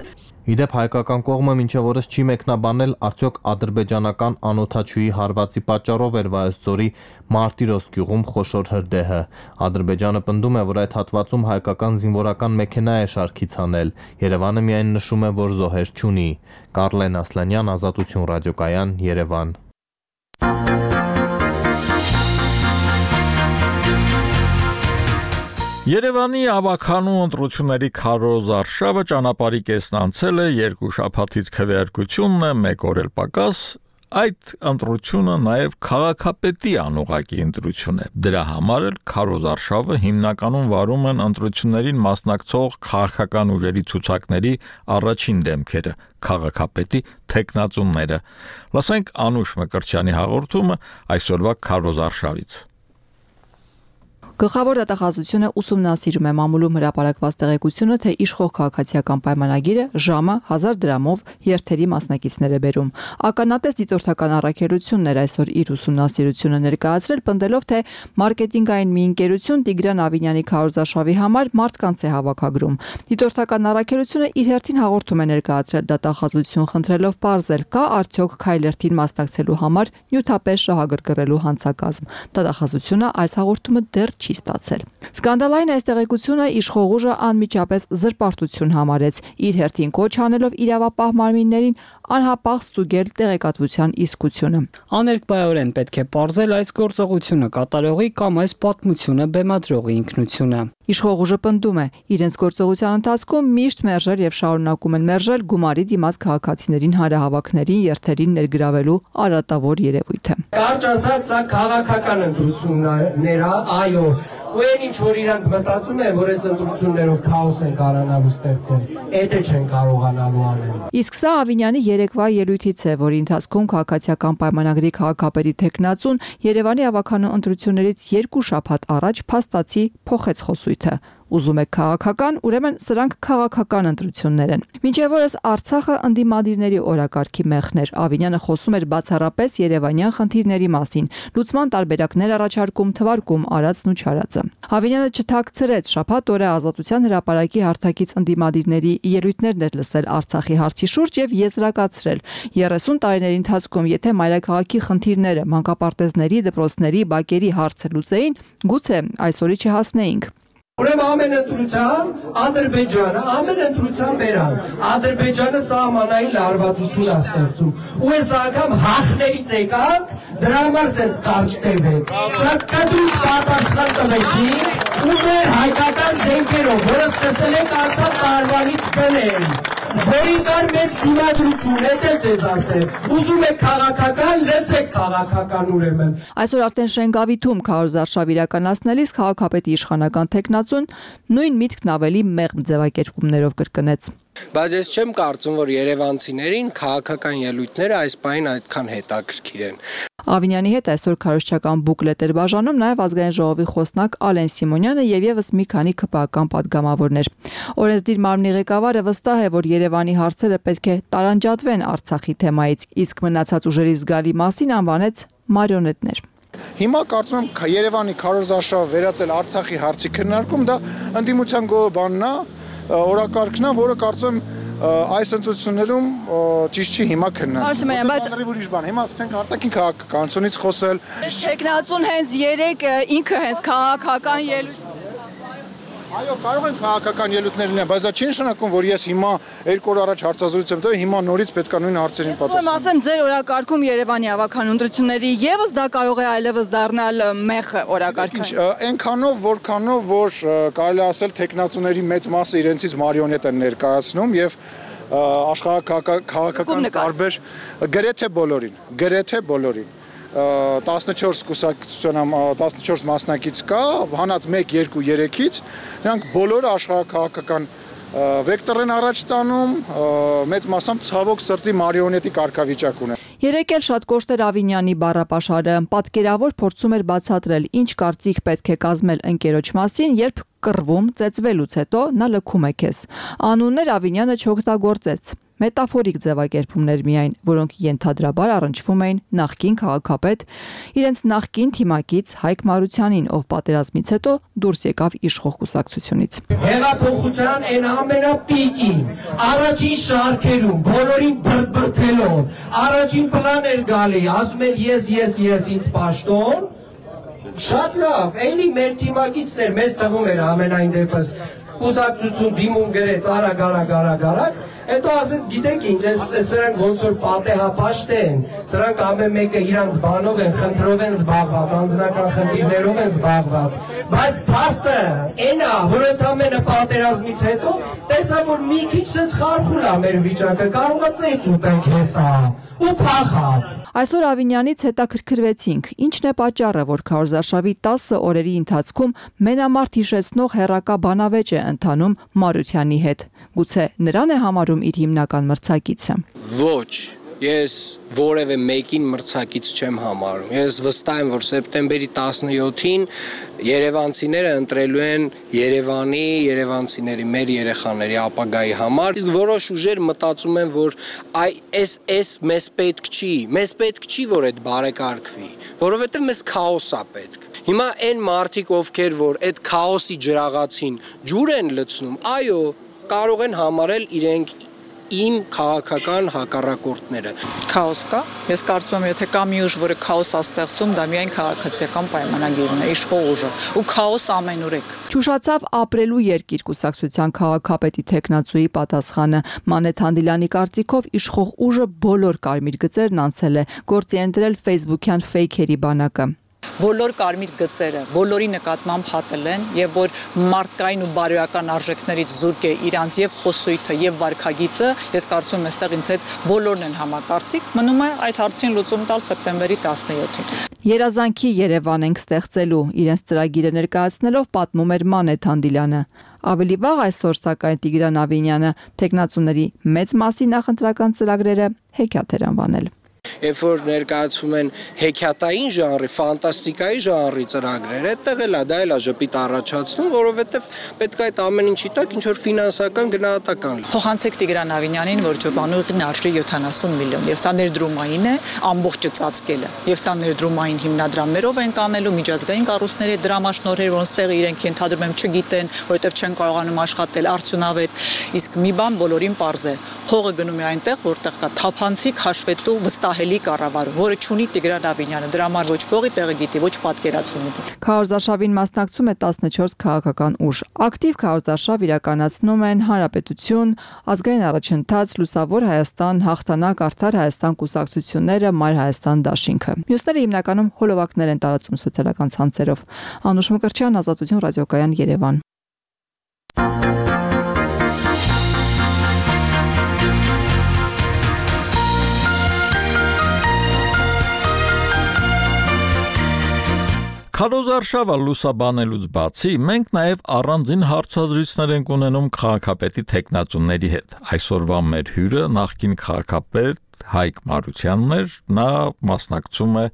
Իդեպ հայկական կողմը մինչև օրս չի մեկնաբանել արդյոք ադրբեջանական անօդաչուի հարվածի պատճառով էր Վայոց-Ձորի Մարտիրոս գյուղում խոշոր հրդեհը։ Ադրբեջանը պնդում է, որ այդ հատվածում հայկական զինվորական մեքենա է շարքից հանել։ Երևանը միայն նշում է, որ զոհեր չունի։ Կարլեն Ասլանյան, Ազատություն ռադիոկայան, Երևան։ Երևանի ավականու ընտրությունների քարոզ արշավը ճանապարհի կեսն անցել է, 2 շաբաթից քվեարկությունն է, 1 օր էլ պակաս։ Այդ ընտրությունը նաև քաղաքապետի անուղղակի ընտրություն է։ Դրա համար էլ քարոզ արշավը հիմնականում վարում են ընտրություններին մասնակցող քաղաքական ուժերի ցուցակների առաջին դեմքերը, քաղաքապետի թեկնածուները։ Լսենք Անուշ Մկրտչյանի հաղորդումը այսօրվա քարոզ արշավից։ Գլխավոր դատախազությունը ուսումնասիրում է մամուլում հրապարակված տեղեկությունը, թե իշխող քաղաքացիական պայմանագիրը ժամը 1000 դրամով երթերի մասնակիցներ է բերում։ Ականատես դիտորդական առաքելությունն էր այսօր իր ուսումնասիրությունը ներկայացրել, պնդելով, թե մարքեթինգային մի ընկերություն Տիգրան Ավինյանի քարոզարշավի համար մարդկանց է հավաքագրում։ Դիտորդական առաքելությունը իր հերթին հաղորդում է ներկայացրել դատախազություն, խնդրելով պարզել, կա արդյոք քայլերթին մասնակցելու համար նյութապես շահագրգռելու հանցակազմ։ Դատախազությունը այս հաղորդումը դեռ չի ստացել։ Սկանդալային այս տեղեկությունը իշխող ուժը անմիջապես զրպարտություն համարեց, իր հերթին կոչ անելով իրավապահ մարմիններին անհապաղ ստուգել տեղեկատվության իսկությունը։ Աներկբայորեն պետք է պարզել այս գործողությունը կատարողի կամ այս պատմությունը բեմադրողի ինքնությունը։ Իշխող ուժը պնդում է, իրենց գործողության ընթացքում միշտ մերժել եւ շարունակում են մերժել գումարի դիմաց քաղաքացիներին հանրահավաքներին երթերին ներգրավելու արատավոր երևույթը։ Կարճ ասած, սա քաղաքական ընտրություններ է, այո, ու այն ինչ որ իրանք մտածում են, որ այս ընտրություններով քաոս են կարողանալու ստեղծել, դա չեն կարողանալու անել։ Իսկ սա Ավինյանի երեկվա ելույթից է, որի ընթացքում քաղաքացիական պայմանագրի քաղաքապետի թեկնածուն Երևանի ավականու ընտրություններից 2 շաբաթ առաջ փաստացի փոխեց խոսույթը։ Ուզում եք քաղաքական, ուրեմն սրանք քաղաքական ընտրություններ են։ Մինչև օրս Արցախը ընդդիմադիրների օրակարգի մեխն էր։ Ավինյանը խոսում էր բացառապես երևանյան խնդիրների մասին, լուծման տարբերակներ առաջարկում, թվարկում Արածն ու Չարածը։ Ավինյանը չթաքցրեց, շաբաթ օրը Ազատության հրապարակի հարթակից ընդդիմադիրների ելույթներն էր լսել Արցախի հարցի շուրջ եւ եզրակացրել 30 տարիների ընթացքում, եթե մայրաքաղաքի խնդիրները, մանկապարտեզների, դպրոցների, բակերի հարցը լուծեին, գուցե այսօրի չհասնեինք։ Ուրեմն ամեն ընտրության Ադրբեջանը, ամեն ընտրության բերան, Ադրբեջանը սահմանային լարվածություն է ստեղծում։ Ու այս անգամ հախներից եկանք, դրա համար սենց կարճ տևեց։ Շատ կդուկ պատասխան տվեցին ու մեր հայկական զենքերով, որը սկսել ենք Արցախ տարվանից բնել, որին կար մեծ դիմադրություն, դա ձեզ ասեմ։ Ուզում եք քաղաքական, լսեք քաղաքական ուրեմն։ Այսօր արդեն Շենգավիթում քարոզարշավ իրականացնելիս քաղաքապետի իշխանական թեկնածուն նույն միտքն ավելի մեղմ ձևակերպումներով կրկնեց։ Բայց ես չեմ կարծում, որ երևանցիներին քաղաքական ելույթները այս պահին այդքան հետաքրքիր են։ Ավինյանի հետ այսօր քարոզչական բուկլետ էր բաժանում նաև ազգային ժողովի խոսնակ Ալեն Սիմոնյանը եւ եւս մի քանի ԿՊԱ-ական падգամավորներ։ Օրենսդիր մարմնի ղեկավարը վստահ է, որ Երևանի հարցերը պետք է տարանջատվեն Արցախի թեմայից, իսկ մնացած ուժերի զգալի մասին անվանեց մարիոնետներ։ Հիմա կարծում եմ Երևանի քարոզարշավը վերածել Արցախի հարցի քննարկում, դա ընդդիմության գոհաբանն է, օրակարգն է, որը կարծում եմ այս ընտրություններում ճիշտ չի հիմա քննարկել։ Արսեմյան, բայց ուրիշ բան, հիմա սկսենք արտաքին քաղաքականությունից խոսել։ Տեխնացուն հենց 3 ինքը հենց քաղաքական ելույթ։ Այո, կարող են քաղաքական ելույթներ լինել, բայց դա չի նշանակում, որ ես հիմա 2 օր առաջ հարցազրույց եմ տվել, հիմա նորից պետք է նույն հարցերին պատասխանել։ Ուրեմն ասեմ, ձեր օրակարգում Երևանի ավականու ընտրությունների եւս դա կարող է այլևս դառնալ մեղ օրակարգ։ Այնքանով, որքանով, որ կարելի ասել տեխնացուների մեծ մասը իրենցից մարիոնետ են ներկայացնում եւ աշխարհաքաղաքական տարբեր գրեթե բոլորին 14 կուսակցության 14 մասնակից կա, հանած 1, 2, 3-ից, նրանք բոլորը աշխարհաքաղաքական վեկտոր են առաջ տանում, մեծ մասամբ ցավոք սրտի մարիոնետի կարգավիճակ ունեն։ Երեկ էլ շատ կոշտ էր Ավինյանի բառապաշարը, պատկերավոր փորձում էր բացատրել, ինչ կարծիք պետք է կազմել ընկերոջ մասին, երբ կռվում, ծեծվելուց հետո նա լքում է քեզ։ Անուններ Ավինյանը չօգտագործեց։ Մետաֆորիկ ձևակերպումներ միայն, որոնք ենթադրաբար առնչվում էին նախկին քաղաքապետ, իրենց նախկին թիմակից Հայկ Մարությանին, ով պատերազմից հետո դուրս եկավ իշխող կուսակցությունից։ Հեղափոխության այն ամենապիկին, առաջին շարքերում, բոլորին բրդբրդելով, առաջին պլան էր գալի, ասում էր ես ինձ պաշտոն, շատ լավ, էլի մեր թիմակիցներ, մեզ թվում էր ամենայն դեպս կուսակցություն դիմում գրեց արագ, հետո ասեց գիտեք ինչ, սրանք ոնց որ պատեհապաշտ են, սրանք ամեն մեկը իրանց բանով են, խնդրով են զբաղված, անձնական խնդիրներով են զբաղված, բայց փաստը այն է, որ ընդամենը պատերազմից հետո տեսա, որ մի քիչ sense խարխուլ է մեր վիճակը, կարող է ծեծ ուտենք հեսա ու փախավ։ Այսօր Ավինյանից հետաքրքրվեցինք, ինչն է պատճառը, որ քարոզարշավի 10 օրերի ընթացքում մենամարտ հիշեցնող հերակա բանավեճ է ընթանում Մարությանի հետ։ Գուցե նրան է համարում իր հիմնական մրցակիցը։ Ոչ, ես որևէ մեկին մրցակից չեմ համարում։ Ես վստահ եմ, որ սեպտեմբերի 17-ին երևանցիները ընտրելու են Երևանի, երևանցիների, մեր երեխաների ապագայի համար։ Իսկ որոշ ուժեր մտածում են, որ այս մեզ պետք չի, որ այդ բարեկարգվի, որովհետև մեզ քաոս է պետք։ Հիմա այն մարդիկ, ովքեր որ այդ քաոսի ջրաղացին ջուր են լցնում, այո, կարող են համարել իրենք իմ քաղաքական հակառակորդները։ Քաոս կա։ Ես կարծում եմ, եթե կա մի ուժ, որը քաոս է ստեղծում, դա միայն քաղաքացիական պայմանագիրն է, իշխող ուժը, ու քաոս ամենուր է։ Ճուշացավ ապրելու երկիր կուսակցության քաղաքապետի տեխնացուի պատասխանը։ Մանեթ Հանդիլյանի կարծիքով իշխող ուժը բոլոր կարմիր գծերն անցել է, գործի ընտրել Facebook-յան ֆեյքերի բանակը։ Բոլոր կարմիր գծերը, բոլորի նկատմամբ հատել են եւ որ մարդկային ու բարոյական արժեքներից զուրկ է իրանց եւ խոսույթը եւ վարքագիծը, ես կարծում եմ այստեղ ինձ հետ բոլորն են համակարծիք, մնում է այդ հարցին լուծում տալ սեպտեմբերի 17-ին։ Երազանքի Երևան ենք ստեղծելու, իրենց ծրագիրը ներկայացնելով պատմում էր Մանեթ Հանդիլյանը։ Ավելի վաղ այսօր սակայն Տիգրան Ավինյանը տեխնացուների մեծ մասի նախընտրական ծրագրերը հեքիաթ էր անվանել։ Երբ որ ներկայացվում են հեքիաթային ժանրի, ֆանտաստիկայի ժանրի ծրագրեր, այդտեղ էլ դա էլ է ժպիտ առաջացնում, որովհետև պետք է այդ ամեն ինչի տակ ինչ որ ֆինանսական գնահատական լինի։ Փոխանցեք Տիգրան Ավինյանին, որ ջոբանուղին արժի 70 միլիոն, եւ սա ներդրումային է, ամբողջը ծածկելը։ Եվ սա ներդրումային հիմնադրամներով են կանելու միջազգային կառույցների դրամաշնորհեր, որոնց տեղը իրենք ենթադրում եմ չգիտեն, որովհետև չեն կարողանում աշխատել արդյունավետ։ Իսկ մի բան բոլորին պարզ է։ Փողը գնում է այնտեղ, որտեղ կա թափանցիկ հաշվետու վստահելի կառավարում, որը չունի Տիգրան Ավինյանը, դրա համար ոչ փողի տեղը գիտի, ոչ պատկերացում ունի։ Քարոզարշավին մասնակցում է 14 քաղաքական ուժ։ Ակտիվ քարոզարշավ իրականացնում են Հանրապետություն, Ազգային առաջընթաց, Լուսավոր Հայաստան, Հաղթանակ, Արդար Հայաստան կուսակցությունները, Մայր Հայաստան դաշինքը։ Մյուսները հիմնականում հոլովակներ են տարածում սոցիալական ցանցերով։ Անուշ Մկրտչյան, Ազատություն ռադիոկայան, Երևան։ Քարոզարշավը լուսաբանելուց բացի, մենք նաև առանձին հարցազրույցներ ենք ունենում քաղաքապետի տեխնացուների հետ։ Այսօրվա մեր հյուրը նախկին քաղաքապետ Հայկ Մարությանն էր, նա մասնակցում է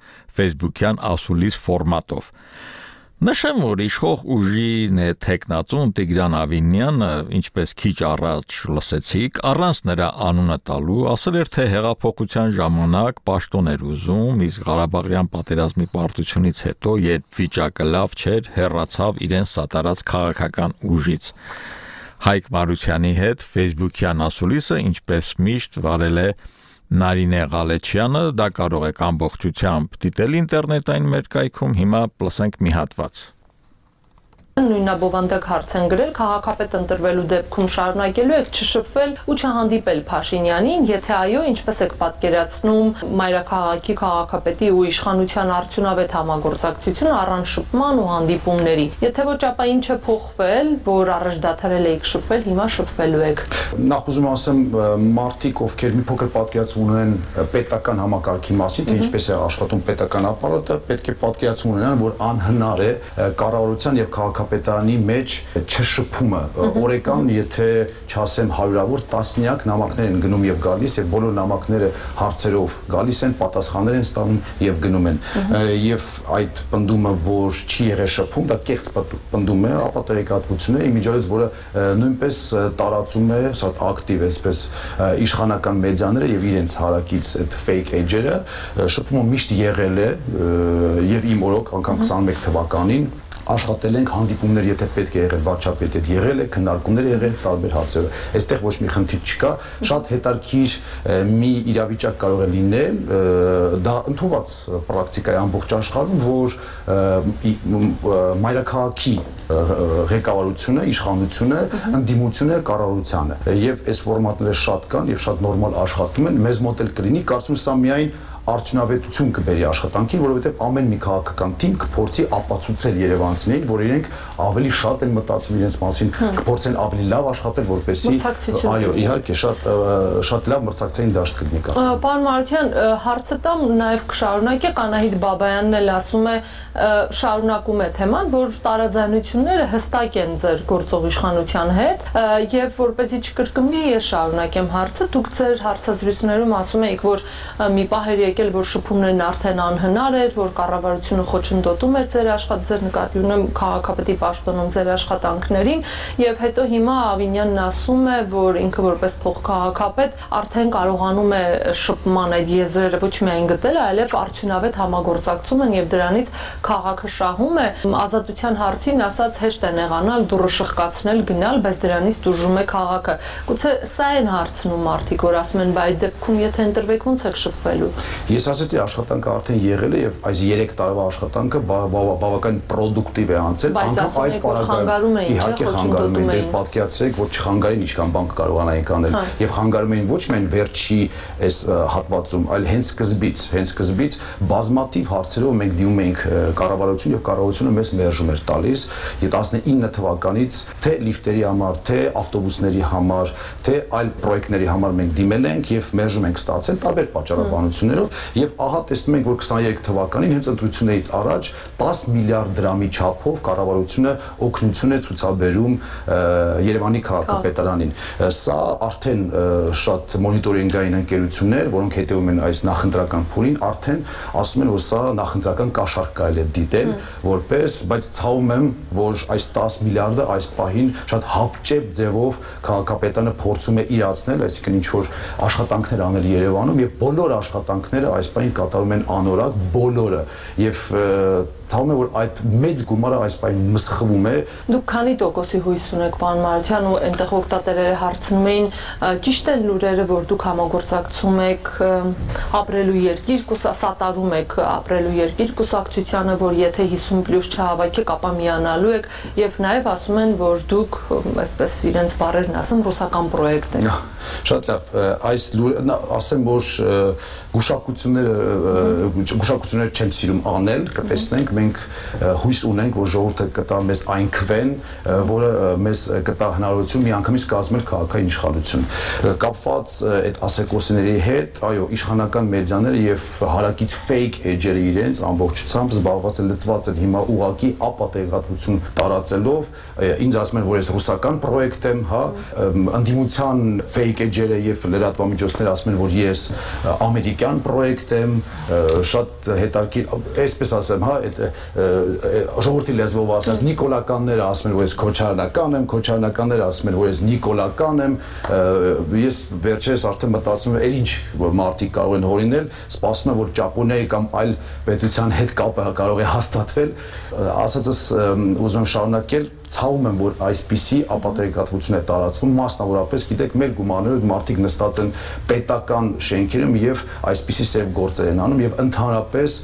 Facebook-յան ասուլիս ֆորմատով։ Նշեմ, որ իշխող ուժին է տեխնացուն Տիգրան Ավինյանը, ինչպես քիչ առաջ լսեցիք, առանց նրա անունը տալու, ասել էր, թե հեղափոխության ժամանակ պաշտոն էր ուզում, իսկ Ղարաբաղյան պատերազմի պարտությունից հետո, երբ վիճակը լավ չէր, հեռացավ իրեն սատարած քաղաքական ուժից։ Հայկ Մարությանի հետ Facebook-յան ասուլիսը, ինչպես միշտ վարել է Նարինե Ղալեչյանը, դա կարող եք ամբողջությամբ դիտել ինտերնետային մեր կայքում, հիմա լսենք մի հատված։ Նույնաբովանդակ հարց են գրել քաղաքապետ ընտրվելու դեպքում շարունակելու եք չշփվել ու չհանդիպել Փաշինյանին, եթե այո, ինչպես եք պատկերացնում մայրաքաղաքի քաղաքապետի ու իշխանության արդյունավետ համագործակցությունը առանց շփման ու հանդիպումների։ Եթե ոչ, ապա ինչ է փոխվել, որ առաջ դադարել եք շփվել, հիմա շփվելու եք։ Նախ ուզում ասեմ, մարդիկ, ովքեր մի փոքր պատկերացում ունեն պետական համակարգի մասին, թե ինչպես է աշխատում պետական ապարատը, պետք է պատկերացում ունենան, որ անհնար է կառավարության եւ քաղաքապետարանի մեջ չշփումը օրեկան, եթե չասեմ հարյուրավոր տասնյակ նամակներ են գնում եւ գալիս եւ բոլոր նամակները հարցերով գալիս են, պատասխաններ են ստանում եւ գնում են եւ այդ պնդումը, որ չի եղել շփում, դա կեղծ պնդում է, ապա տեղեկատվություն է, իմիջիալից, որը նույնպես տարածում է շատ ակտիվ այսպես իշխանական մեդիաները եւ իրենց հարակից այդ fake edge-երը, շփումը միշտ եղել է եւ իմ օրոք անգամ 21 թվականին աշխատել ենք հանդիպումներ, եթե պետք է եղել վարչապետի հետ եղել է, քննարկումներ եղել տարբեր հարցերով։ Այստեղ ոչ մի խնդիր չկա, շատ հետաքրքիր մի իրավիճակ կարող է լինել, դա ընդունված պրակտիկա է ամբողջ աշխարհում, որ մայրաքաղաքի ղեկավարությունը, իշխանությունը ընդդիմություն է կառավարությանը։ Եվ այս ֆորմատները շատ կան եւ շատ նորմալ աշխատում են, մեզ մոտ էլ կլինի, կարծում եմ սա միայն արդյունավետություն կբերի աշխատանքին, որովհետև ամեն մի քաղաքական թիմ կփորձի ապացուցել երևանցիներին, որ իրենք ավելի շատ են մտածում իրենց մասին, կփորձեն ավելի լավ աշխատել, որպեսզի այո, իհարկե, շատ լավ մրցակցային դաշտ կլինի կարծում։ Պարոն Մարությյան, հարցը տամ նաև կշարունակեք, Անահիտ Բաբայանն էլ ասում է, շարունակում է թեման, որ տարաձայնությունները հստակ են ձեր գործող իշխանության հետ, եւ որպեսզի չկրկնվի, ես շարունակեմ հարցը, դուք ձեր հարցազրույցներում ասում եք, որ մի պահ էր եկել, որ շփումներն արդեն անհնար էր, որ կառավարությունը խոչընդոտում էր ձեր նկատի ունեմ քաղաքապետի պաշտոնում ձեր աշխատանքներին, եւ հետո հիմա Ավինյանն ասում է, որ ինքը որպես փոխքաղաքապետ արդեն կարողանում է շփման այդ եզրերը ոչ միայն գտել, այլև արդյունավետ համագործակցում են եւ դրանից քաղաքը շահում է, ազատության հարցին ասած հեշտ է նեղանալ, դուրը շղկացնել, գնալ, բայց դրանից դժում է քաղաքը։ Գուցե սա են հարցնում մարդիկ, որ ասում են, բայց այդ դեպքում եթե ընտրվեք, ոնց եք շփվելու։ Ես ասացի, աշխատանքը արդեն եղել է եւ այս 3 տարվա աշխատանքը բավական պրոդուկտիվ է անցել, անգամ այդ պարագայում իհարկե խանգարում էին, դեռ պատկերացրեք, որ չխանգարեն ինչքան բան կարողանային անել եւ խանգարում էին ոչ միայն վերջի այս հատվածում, այլ հենց սկզբից բազմաթիվ հարցերով մենք դիմում էինք կառավարություն եւ կառավարությունը մեզ մերժում էր տալիս 19 թվականից թե լիֆտերի համար, թե ավտոբուսների համար, թե այլ պրոյեկտների համար մենք դիմել ենք եւ մերժում ենք ստացել տարբեր պատճառաբանություններով եւ ահա տեսնում ենք, որ 23 թվականին հենց ընտրություններից առաջ 10 միլիարդ դրամի չափով կառավարությունը օգնություն է ցուցաբերում Երևանի քաղաքապետարանին։ Սա արդեն շատ մոնիտորինգային ընկերություններ, որոնք հետևում են այս նախընտրական փուլին, արդեն ասում են, որ սա նախընտրական կաշառք կարելի է դիտել որպես, բայց ցավում եմ, որ այս 10 միլիարդը այս պահին շատ հապճեպ ձևով քաղաքապետարանը փորձում է իրացնել, այսինքն ինչ որ աշխատանքներ անել Երևանում եւ բոլոր աշխատանքները այս պահին կատարում են անորակ բոլորը եւ ցավում է, որ այդ մեծ գումարը այս պահին մսխվում է։ Դուք քանի տոկոսի հույս ունեք, պարոն Մարությյան, ու այնտեղ օգտատերերը հարցնում էին, ճիշտ են լուրերը, որ դուք համագործակցում եք ապրելու երկիր, սատարում եք ապրելու երկիր կուսակցությանը, որ եթե 50+ չհավաքեք, ապա միանալու եք եւ նաեւ ասում են, որ դուք, այսպես իրենց բառերն ասեմ, ռուսական պրոյեկտ եք։ Շատ լավ, այս ասեմ, որ գուշակությունները չեմ սիրում անել, կտեսնենք, մենք հույս ունենք, որ ժողովուրդը կտա մեզ այն քվեն, որը մեզ կտա հնարավորություն միանգամից կազմել քաղաքային իշխանություն։ Կապված այդ ասեկոսիների հետ, այո, իշխանական մեդիաները եւ հարակից fake edge-երը իրենց ամբողջությամբ զբաղված են, լծված են հիմա ուղակի ապատեղատվություն տարածելով, ինձ ասում են, որ ես ռուսական պրոյեկտ եմ, հա, ընդդիմության fake edge-երը եւ լրատվամիջոցները ասում են, որ ես ամերիկյան պրոյեկտ եմ, շատ հետաքրքիր, այսպես ասեմ, հա, այդ ժողովրդի լեզվով ասած նիկոլականները ասում են, որ ես քոչարյանական եմ, քոչարյանականները ասում են, որ ես նիկոլական եմ, ես վերջերս արդեն մտածում եմ, ինչ մարդիկ կարող են հորինել, սպասում եմ, որ Ճապոնիայի կամ այլ պետության հետ կապը կարող է հաստատվել, ասածս ուզում եմ շարունակել, ցավում եմ, որ այսպիսի ապատրիկատվություն է տարածվում, մասնավորապես, գիտեք, մեր գումարներով մարդիկ նստած են պետական շենքերում եւ այսպիսի սև գործեր են անում եւ ընդհանրապես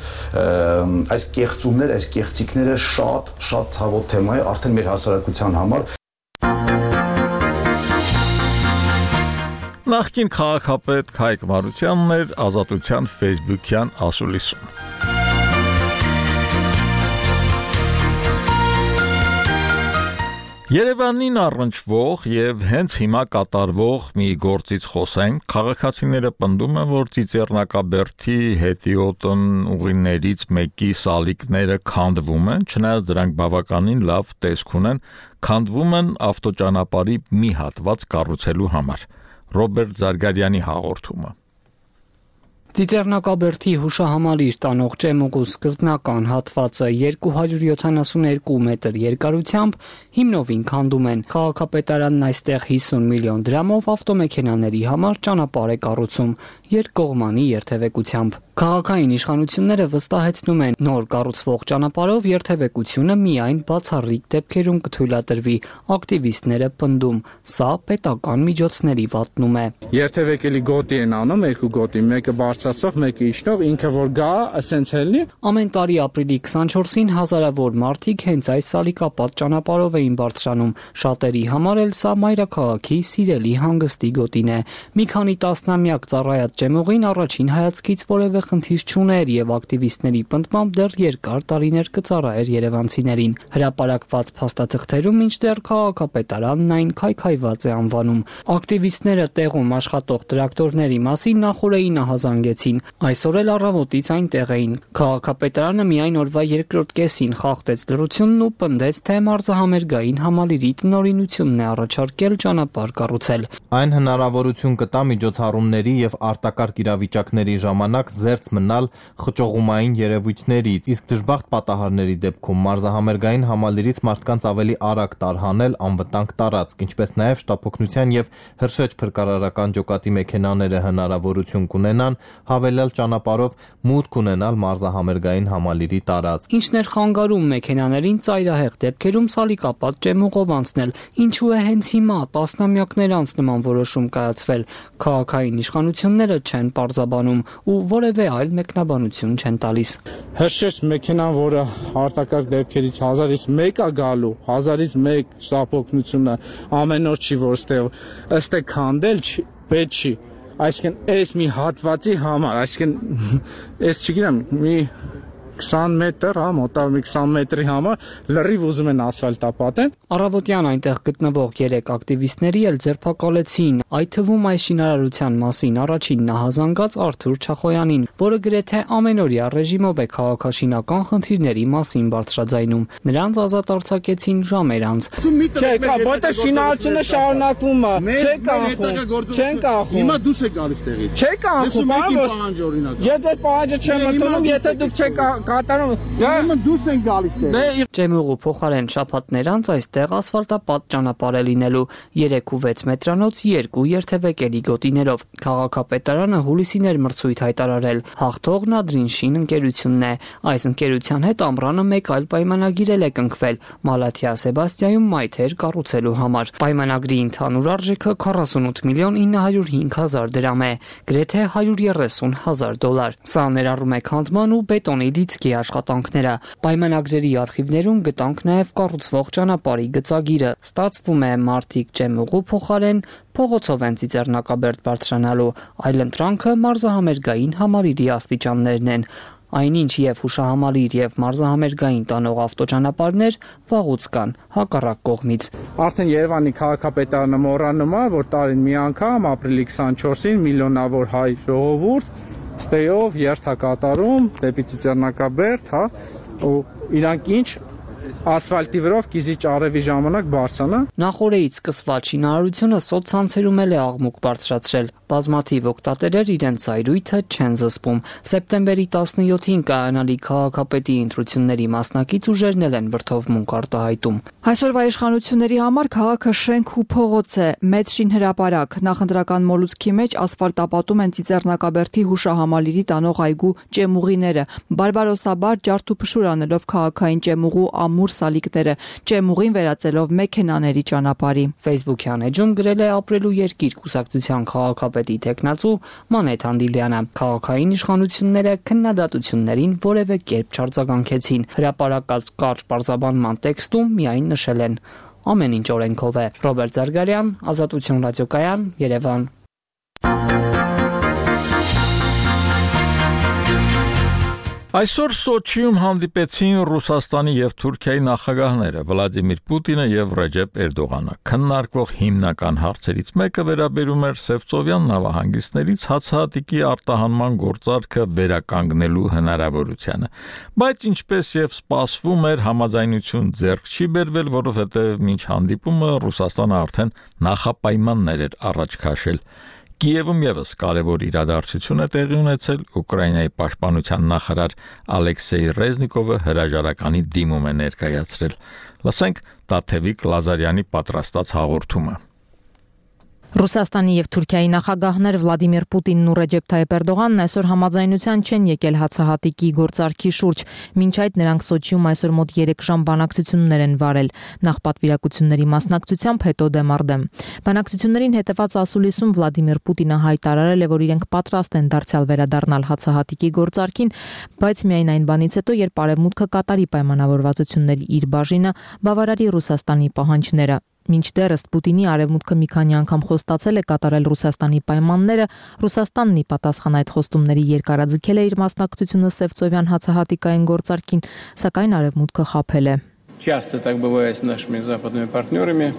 այս կեղծումները, այս կեղծիքները շատ ցավոտ թեմա է արդեն մեր հասարակության համար։ Նախկին քաղաքապետ Քայք Մարությանն էր Ազատության Facebook-յան ասուլիսում։ Երևանին առնչվող եւ հենց հիմա կատարվող մի գործից խոսենք, քաղաքացիները պնդում են, որ Ծիծեռնակաբերդի հետիոտն ուղիներից մեկի սալիկները քանդվում են, չնայած դրանք բավականին լավ տեսք ունեն, քանդվում են ավտոճանապարհի մի հատված կառուցելու համար։ Ռոբերտ Զարգարյանի հաղորդումը։ Ծիծեռնակաբերդի հուշահամալիր տանող ճեմուղու սկզբնական հատվածը 272 մետր երկարությամբ հիմնովին քանդում են։ Քաղաքապետարանն այստեղ 50 միլիոն դրամով ավտոմեքենաների համար ճանապարհ է կառուցում երկկողմանի երթևեկությամբ։ Քաղաքային իշխանությունները վստահեցնում են, նոր կառուցվող ճանապարհով երթևեկությունը միայն բացառիկ դեպքերում կթույլատրվի։ Ակտիվիստները պնդում, սա պետական միջոցների վատնում է։ Երթևեկելի գոտի են անում, երկու գոտի, մեկը բարձրացող, մեկը իջնող, ինքը որ գա, ասենց ելնի։ Ամեն տարի ապրիլի 24-ին հազարավոր մարդիկ հենց այս սալիկապատ ճանապարհով էին բարձրանում։ Շատերի համար էլ սա մայրաքաղաքի սիրելի հանգստի գոտին է։ Մի քանի տասնամյակ ծառայած ճեմուղին առաջին հայացքից որևէ խնդիր չուներ եւ ակտիվիստների պնդմամբ դեռ երկար տարիներ կծառայեր երևանցիներին։ Հրապարակված փաստաթղթերում մինչդեռ քաղաքապետարանն այն քայքայված է անվանում։ Ակտիվիստները տեղում աշխատող տրակտորների մասին նախորդին ահազանգեցին։ Այսօր էլ առավոտից այնտեղ էին։ Քաղաքապետարանը միայն օրվա երկրորդ կեսին խախտեց լրությունն ու պնդեց, թե մարզահամերգային համալիրի տնօրինությունն է առաջարկել ճանապարհ կառուցել։ Այն հնարավորություն կտա միջոցառումների եւ արտակարգ իրավիճակների ժամանակ զերծ մնալ խճողումային երևույթներից, իսկ դժբախտ պատահարների դեպքում մարզահամերգային համալիրից մարդկանց ավելի արագ տարհանել անվտանգ տարածք, ինչպես նաև շտապօգնության եւ հրշեջ փրկարարական ջոկատի մեքենաները հնարավորություն կունենան հավելյալ ճանապարհով մուտք ունենալ մարզահամերգային համալիրի տարածք։ Ինչն էր խանգարում մեքենաներին ծայրահեղ դեպքերում սալիկապատ ճեմուղով անցնել, ինչու է հենց հիմա տասնամյակներ անց նման որոշում կայացվել։ Քաղաքային իշխանությունները չեն պարզաբանում ու որևէ այլ մեկնաբանություն չեն տալիս։ Հրշեջ մեքենան, որը արտակարգ դեպքերից 1000-ից 1 է գալու, 1000-ից 1 շտապօգնությունը ամեն օր չի, որ ըստ է քանդել պետք չի։ Այսինքն այս մի հատվածի համար, այսինքն այս չգիտեմ, մի 20 մետր, մոտավոր մի 20 մետրի համար լրիվ ուզում են ասֆալտապատեն։ Առավոտյան այնտեղ գտնվող 3 ակտիվիստների էլ ձերբակալեցին, այդ թվում այս շինարարության մասին առաջին նահազանգած Արթուր Չախոյանին, որը գրեթե ամենօրյա ռեժիմով է քաղաքաշինական խնդիրների մասին բարձրաձայնում։ Նրանց ազատ արձակեցին ժամեր անց։ Չէ, որտեղ շինարարությունը շարունակվում է, չեն կանխում։ Հիմա դուս եք գալիս տեղից։ Չէ կանխում, ես այդ պահանջը չեմ ընդունում, եթե դուք չեք կատարում, դուս են գալիս տեղ։ Ճեմուղու փոխարեն շաբաթներ անց այստեղ ասֆալտապատ ճանապարհ է լինելու 3.6 մետրանոց 2 երթևեկելի գոտիներով։ Քաղաքապետարանը հուլիսին էր մրցույթ հայտարարել։ Հաղթողն Ադրինշին ընկերությունն է։ Այս ընկերության հետ ամռանը մեկ այլ պայմանագիր է կնքվել Մալաթիա Սեբաստիայում մայթեր կառուցելու համար։ Պայմանագրի ընդհանուր արժեքը 48 միլիոն 905 հազար դրամ է, գրեթե $130,000։ Սա ներառում է քանդման ու բետոնի լիցքի աշխատանքները։ Պայմանագրերի արխիվներում գտանք նաև կառուցվող ճանապարհի գծագիրը։ Ստացվում է մարդիկ ճեմուղու փոխարեն փողոցով են Ծիծեռնակաբերդ բարձրանալու, այլ ընտրանքը մարզահամերգային համալիրի աստիճաններն են։ Այնինչ եւ հուշահամալիր եւ մարզահամերգային տանող ավտոճանապարհներ վաղուց կան հակառակ կողմից։ Արդեն Երևանի քաղաքապետարանը մոռանում է, որ տարին մի անգամ ապրիլի 24-ին միլիոնավոր հայ ժողովուրդ ստեյով երթակատարում դեպի Ծիծեռնակաբերդ, ու իրանք ինչ ասֆալտի վրով կիզիչ արևի ժամանակ բարձրանա։ Նախորդից սկսված շինարարությունը սոցցանցերում էլ է աղմուկ բարձրացրել։ Բազմաթիվ օգտատերեր իրենց զայրույթը չեն զսպում։ Սեպտեմբերի 17-ին կայանալի քաղաքապետի ընտրությունների մասնակից ուժերն են վրդովմունք արտահայտում։ Այսօրվա իշխանությունների համար քաղաքը շենք ու փողոց է, մեծ շինհրապարակ։ Նախընտրական մոլուցքի մեջ ասֆալտապատում են Ծիծեռնակաբերդի հուշահամալիրի տանող այգու ճեմուղիները։ Բարբարոսաբար ջարդ ու փշուր անելով քաղաքային ճեմուղու ամուր սալիկները, ճեմուղին վերածելով մեքենաների ճանապարհի։ Facebook-յան էջում գրել է ապրելու երկիր կուսակցության քաղաքապետի տեխնացու Մանեթ Անդիլյանը։ Քաղաքային իշխանությունները քննադատություններին որևէ կերպ չարձագանքեցին։ Հրապարակած կարճ պարզաբանման տեքստում միայն նշել են. ամեն ինչ օրենքով է։ Ռոբերտ Զարգարյան, Ազատություն ռադիոկայան, Երևան։ Այսօր Սոչիում հանդիպեցին Ռուսաստանի եւ Թուրքիայի նախագահները Վլադիմիր Պուտինը եւ Ռեջեփ Էրդողանը։ Քննարկվող հիմնական հարցերից մեկը վերաբերում էր Սևծովյան նավահանգիստներից հացահատիկի արտահանման գործարքը վերականգնելու հնարավորությանը։ Բայց ինչպես եւ սպասվում էր, համաձայնություն ձեռք չի բերվել, որովհետեւ մինչ հանդիպումը Ռուսաստանը արդեն նախապայմաններ էր առաջ քաշել։ Կիևում եւս կարևոր իրադարձություն է տեղի ունեցել, Ուկրաինայի պաշտպանության նախարար Ալեքսեյ Ռեզնիկովը հրաժարականի դիմում է ներկայացրել։ Լսենք Տաթևիկ Լազարյանի պատրաստած հաղորդումը։ Ռուսաստանի եւ Թուրքիայի նախագահներ Վլադիմիր Պուտինն ու Ռեջեփ Թայիփ Էրդողանն այսօր համաձայնության չեն եկել հացահատիկի գործարքի շուրջ։ Մինչ այդ նրանք Սոչիում այսօր մոտ 3 ժամ բանակցություններ են վարել, նախ պատվիրակությունների մասնակցությամբ, հետո դեմարդեմ։ Բանակցություններին հետևած ասուլիսում Վլադիմիր Պուտինը հայտարարել է, որ իրենք պատրաստ են դարձյալ վերադառնալ հացահատիկի գործարքին, բայց միայն այն բանից հետո, երբ Արևմուտքը կատարի պայմանավորվածությունների իր բաժինը, բավարարի Ռուսաստանի պահանջները։ Մինչդեռ ըստ Պուտինի Արևմուտքը մի քանի անգամ խոստացել է կատարել Ռուսաստանի պայմանները, Ռուսաստանն ի պատասխան այդ խոստումների երկարաձգել է իր մասնակցությունը Սևծովյան հացահատիկային գործարքին, սակայն Արևմուտքը խաբել է։ Часто так бывает с нашими западными партнерами.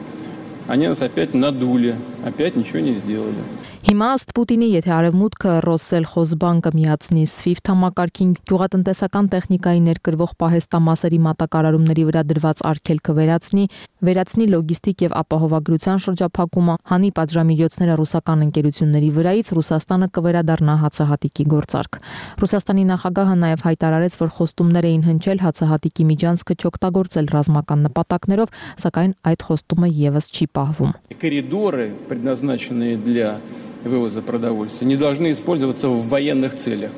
Они нас опять надули, опять ничего не сделали. Հիմա ըստ Պուտինի, եթե Արևմուտքը Ռոսսելխոզբանկը միացնի SWIFT համակարգին, գյուղատնտեսական տեխնիկայի ներկրվող պահեստամասերի մատակարարումների վրա դրված արգելքը վերացնի լոգիստիկ եւ ապահովագրության շրջափակումը, հանի պատժամիջոցները ռուսական ընկերությունների վրայից, Ռուսաստանը կվերադառնա հացահատիկի գործարք։ Ռուսաստանի նախագահը նաեւ հայտարարեց, որ խոստումներ էին հնչել հացահատիկի միջանցքը չօգտագործել ռազմական նպատակներով, սակայն այդ խոստումը եւս չի պահվում։ Коридоры, предназначенные для вывоза продовольствия, не должны использоваться в военных целях.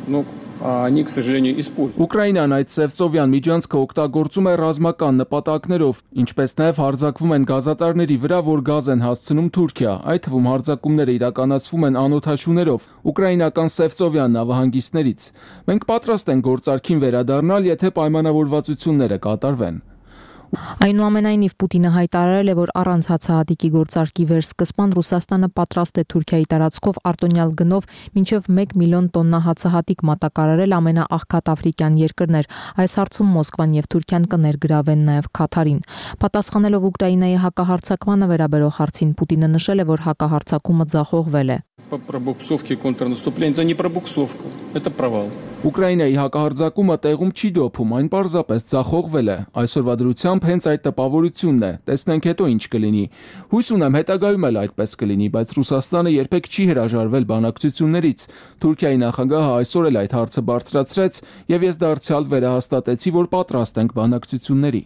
Ну, а они, к сожалению, используют. Ուկրաինան այդ Սևծովյան միջանցքը օգտագործում է ռազմական նպատակներով, ինչպես նաև հարձակվում են գազատարների վրա, որ գազ են հասցնում Թուրքիա, այդ թվում հարձակումները իրականացվում են անօդաչուներով, ուկրաինական Սևծովյան նավահանգիստներից։ Մենք պատրաստ ենք գործարքին վերադառնալ, եթե պայմանավորվածությունները կատարվեն։ Այնուամենայնիվ Պուտինը հայտարարել է, որ առանց հացահատիկի գործարքի վերսկսման Ռուսաստանը պատրաստ է Թուրքիայի տարածքով արտոնյալ գնով մինչև 1 միլիոն տոննա հացահատիկ մատակարարել ամենաաղքատ աֆրիկյան երկրներ։ Այս հարցում Մոսկվան եւ Թուրքիան կներգրավեն նաեւ Քաթարին։ Պատասխանելով Ուկրաինայի հակահարձակմանը վերաբերող հարցին Պուտինը նշել է, որ հակահարձակումը ձախողվել է։ Пробуксовки контрнаступления это не пробуксовка, это провал. Ուկրաինայի հակահարձակումը տեղում չի դոփում, այն պարզապես ձախողվել է։ Այսօրվա դրությամբ հենց այդ տպավորությունն է։ Տեսնենք հետո ինչ կլինի։ Հույս ունեմ հետագայում էլ այդպես կլինի, բայց Ռուսաստանը երբեք չի հրաժարվել բանակցություններից։ Թուրքիայի նախագահը այսօր էլ այդ հարցը բարձրացրեց, եւ ես դարձյալ վերահաստատեցի, որ պատրաստ ենք բանակցությունների։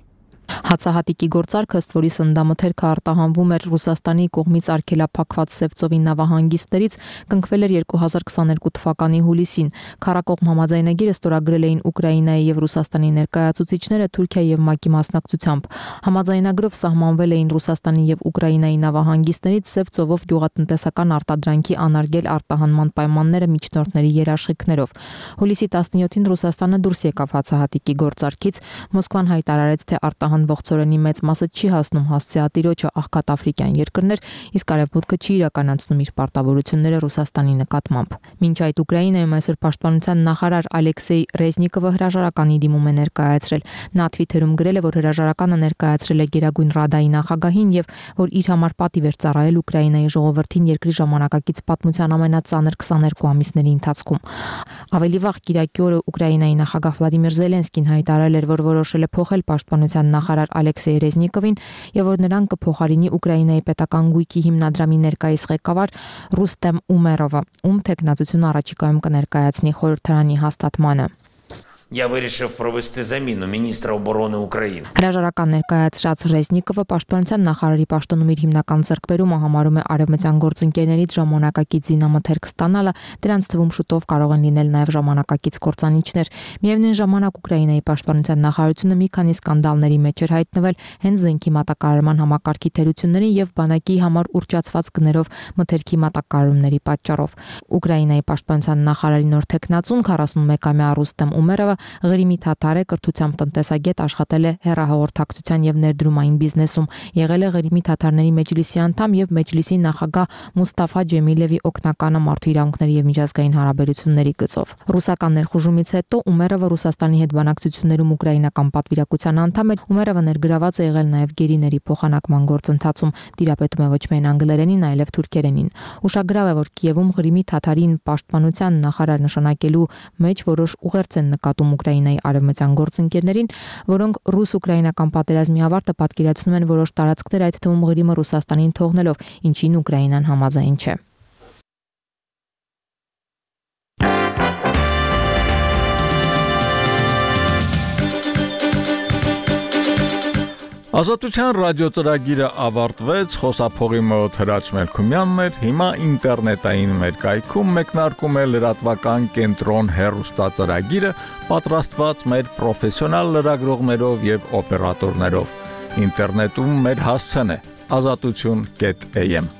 Հացահատիկի գործարքը ըստ որի սննդամթերքը արտահանվում էր Ռուսաստանի կողմից արգելափակված Սևծովի նավահանգիստներից, կնքվել էր 2022 թվականի հուլիսին։ Քառակողմ համաձայնագիրը ստորագրել էին Ուկրաինայի եւ Ռուսաստանի ներկայացուցիչները Թուրքիայի եւ ՄԱԿ-ի մասնակցությամբ։ Համաձայնագրով սահմանվել էին Ռուսաստանի եւ Ուկրաինայի նավահանգիստներից Սևծովով գյուղատնտեսական արտադրանքի անարգել արտահանման պայմանները միջնորդների երաշխիքներով։ Հուլիսի 17-ին Ռուսաստանը դուրս եկավ հացահատիկի գործարքից, Մոսկվան հայտարարեց, թե արտահանվող ծորենի մեծ մասը չի հասնում հասցեատիրոջը աղքատ աֆրիկյան երկրներ, իսկ Արևմուտքը չի իրականացնում իր պարտավորությունները Ռուսաստանի նկատմամբ։ Մինչ այդ Ուկրաինայում այսօր պաշտպանության նախարար Ալեքսեյ Ռեզնիկովը հրաժարականի դիմում է ներկայացրել։ Նա Twitter-ում գրել է, որ հրաժարականը ներկայացրել է Գերագույն Ռադայի նախագահին եւ որ իր համար պատիվ էր ծառայել Ուկրաինայի ժողովրդին երկրի ժամանակակից պատմության ամենածանր 22 ամիսների ընթացքում։ Ավելի վաղ Կիրակի օրը Ուկրաինայի նախագահ Վլադիմիր Զելենսկին հայտարարել էր, որ որոշել է փոխել պաշտպանության նախարար Ալեքսեյ Ռեզնիկովին եւ որ նրան կփոխարինի Ուկրաինայի պետական գույքի հիմնադրամի ներկայիս ղեկավար Ռուստեմ Ումերովը, ում թեկնածությունը առաջիկայում կներկայացնի խորհրդարանի հաստատմանը։ я вирішив провести заміну міністра оборони України. Հրաժարական ներկայացրած Ռեզնիկովը պաշտպանության նախարարի պաշտոնում իր հիմնական ձեռքբերումը համարում է արևմտյան գործընկերներից ժամանակակից զինամթերք ստանալը, դրանց թվում շուտով կարող են լինել նաև ժամանակակից կործանիչներ։ Միևնույն ժամանակ Ուկրաինայի պաշտպանության նախարարությունը մի քանի սկանդալների մեջ էր հայտնվել հենց զենքի մատակարարման համակարգի թերությունների եւ բանակի համար ուռճացված գներով մթերքի մատակարարումների պատճառով։ Ուկրաինայի պաշտպանության նախարարի նոր տեխնացուն 41-ամյա Ռուստեմ Ումերովը Ղրիմի թաթար է, կրթությամբ տնտեսագետ, աշխատել է հեռահաղորդակցության եւ ներդրումային բիզնեսում, եղել է Ղրիմի թաթարների մեջլիսի անդամ եւ մեջլիսի նախագահ Մուստաֆա Ջեմիլևի օգնականը մարդու իրավունքների եւ միջազգային հարաբերությունների գծով։ Ռուսական ներխուժումից հետո Ումերովը Ռուսաստանի հետ բանակցություններում ուկրաինական պատվիրակության անդամ է։ Ումերովը ներգրաված է եղել նաեւ գերիների փոխանակման գործընթացում, տիրապետում է ոչ միայն անգլերենին, այլև թուրքերենին։ Ուշագրավ է, որ Կիևում Ղրիմի թաթարին պաշտպանության նախարար նշանակելու մեջ որոշ ուղերձ են նկատում Ուկրաինայի արևմտյան գործընկերներին, որոնք ռուս-ուկրաինական պատերազմի ավարտը պատկերացնում են որոշ տարածքներ, այդ թվում Ղրիմը Ռուսաստանին թողնելով, ինչին Ուկրաինան համաձայն չէ։ Ազատության ռադիոծրագիրը ավարտվեց, խոսափողի մոտ Հրաչ Մելքումյանն էր, հիմա ինտերնետային մեր կայքում մեկնարկում է լրատվական կենտրոն հեռուստածրագիրը, պատրաստված մեր պրոֆեսիոնալ լրագրողներով եւ օպերատորներով։ Ինտերնետում մեր հասցեն է azatutun.am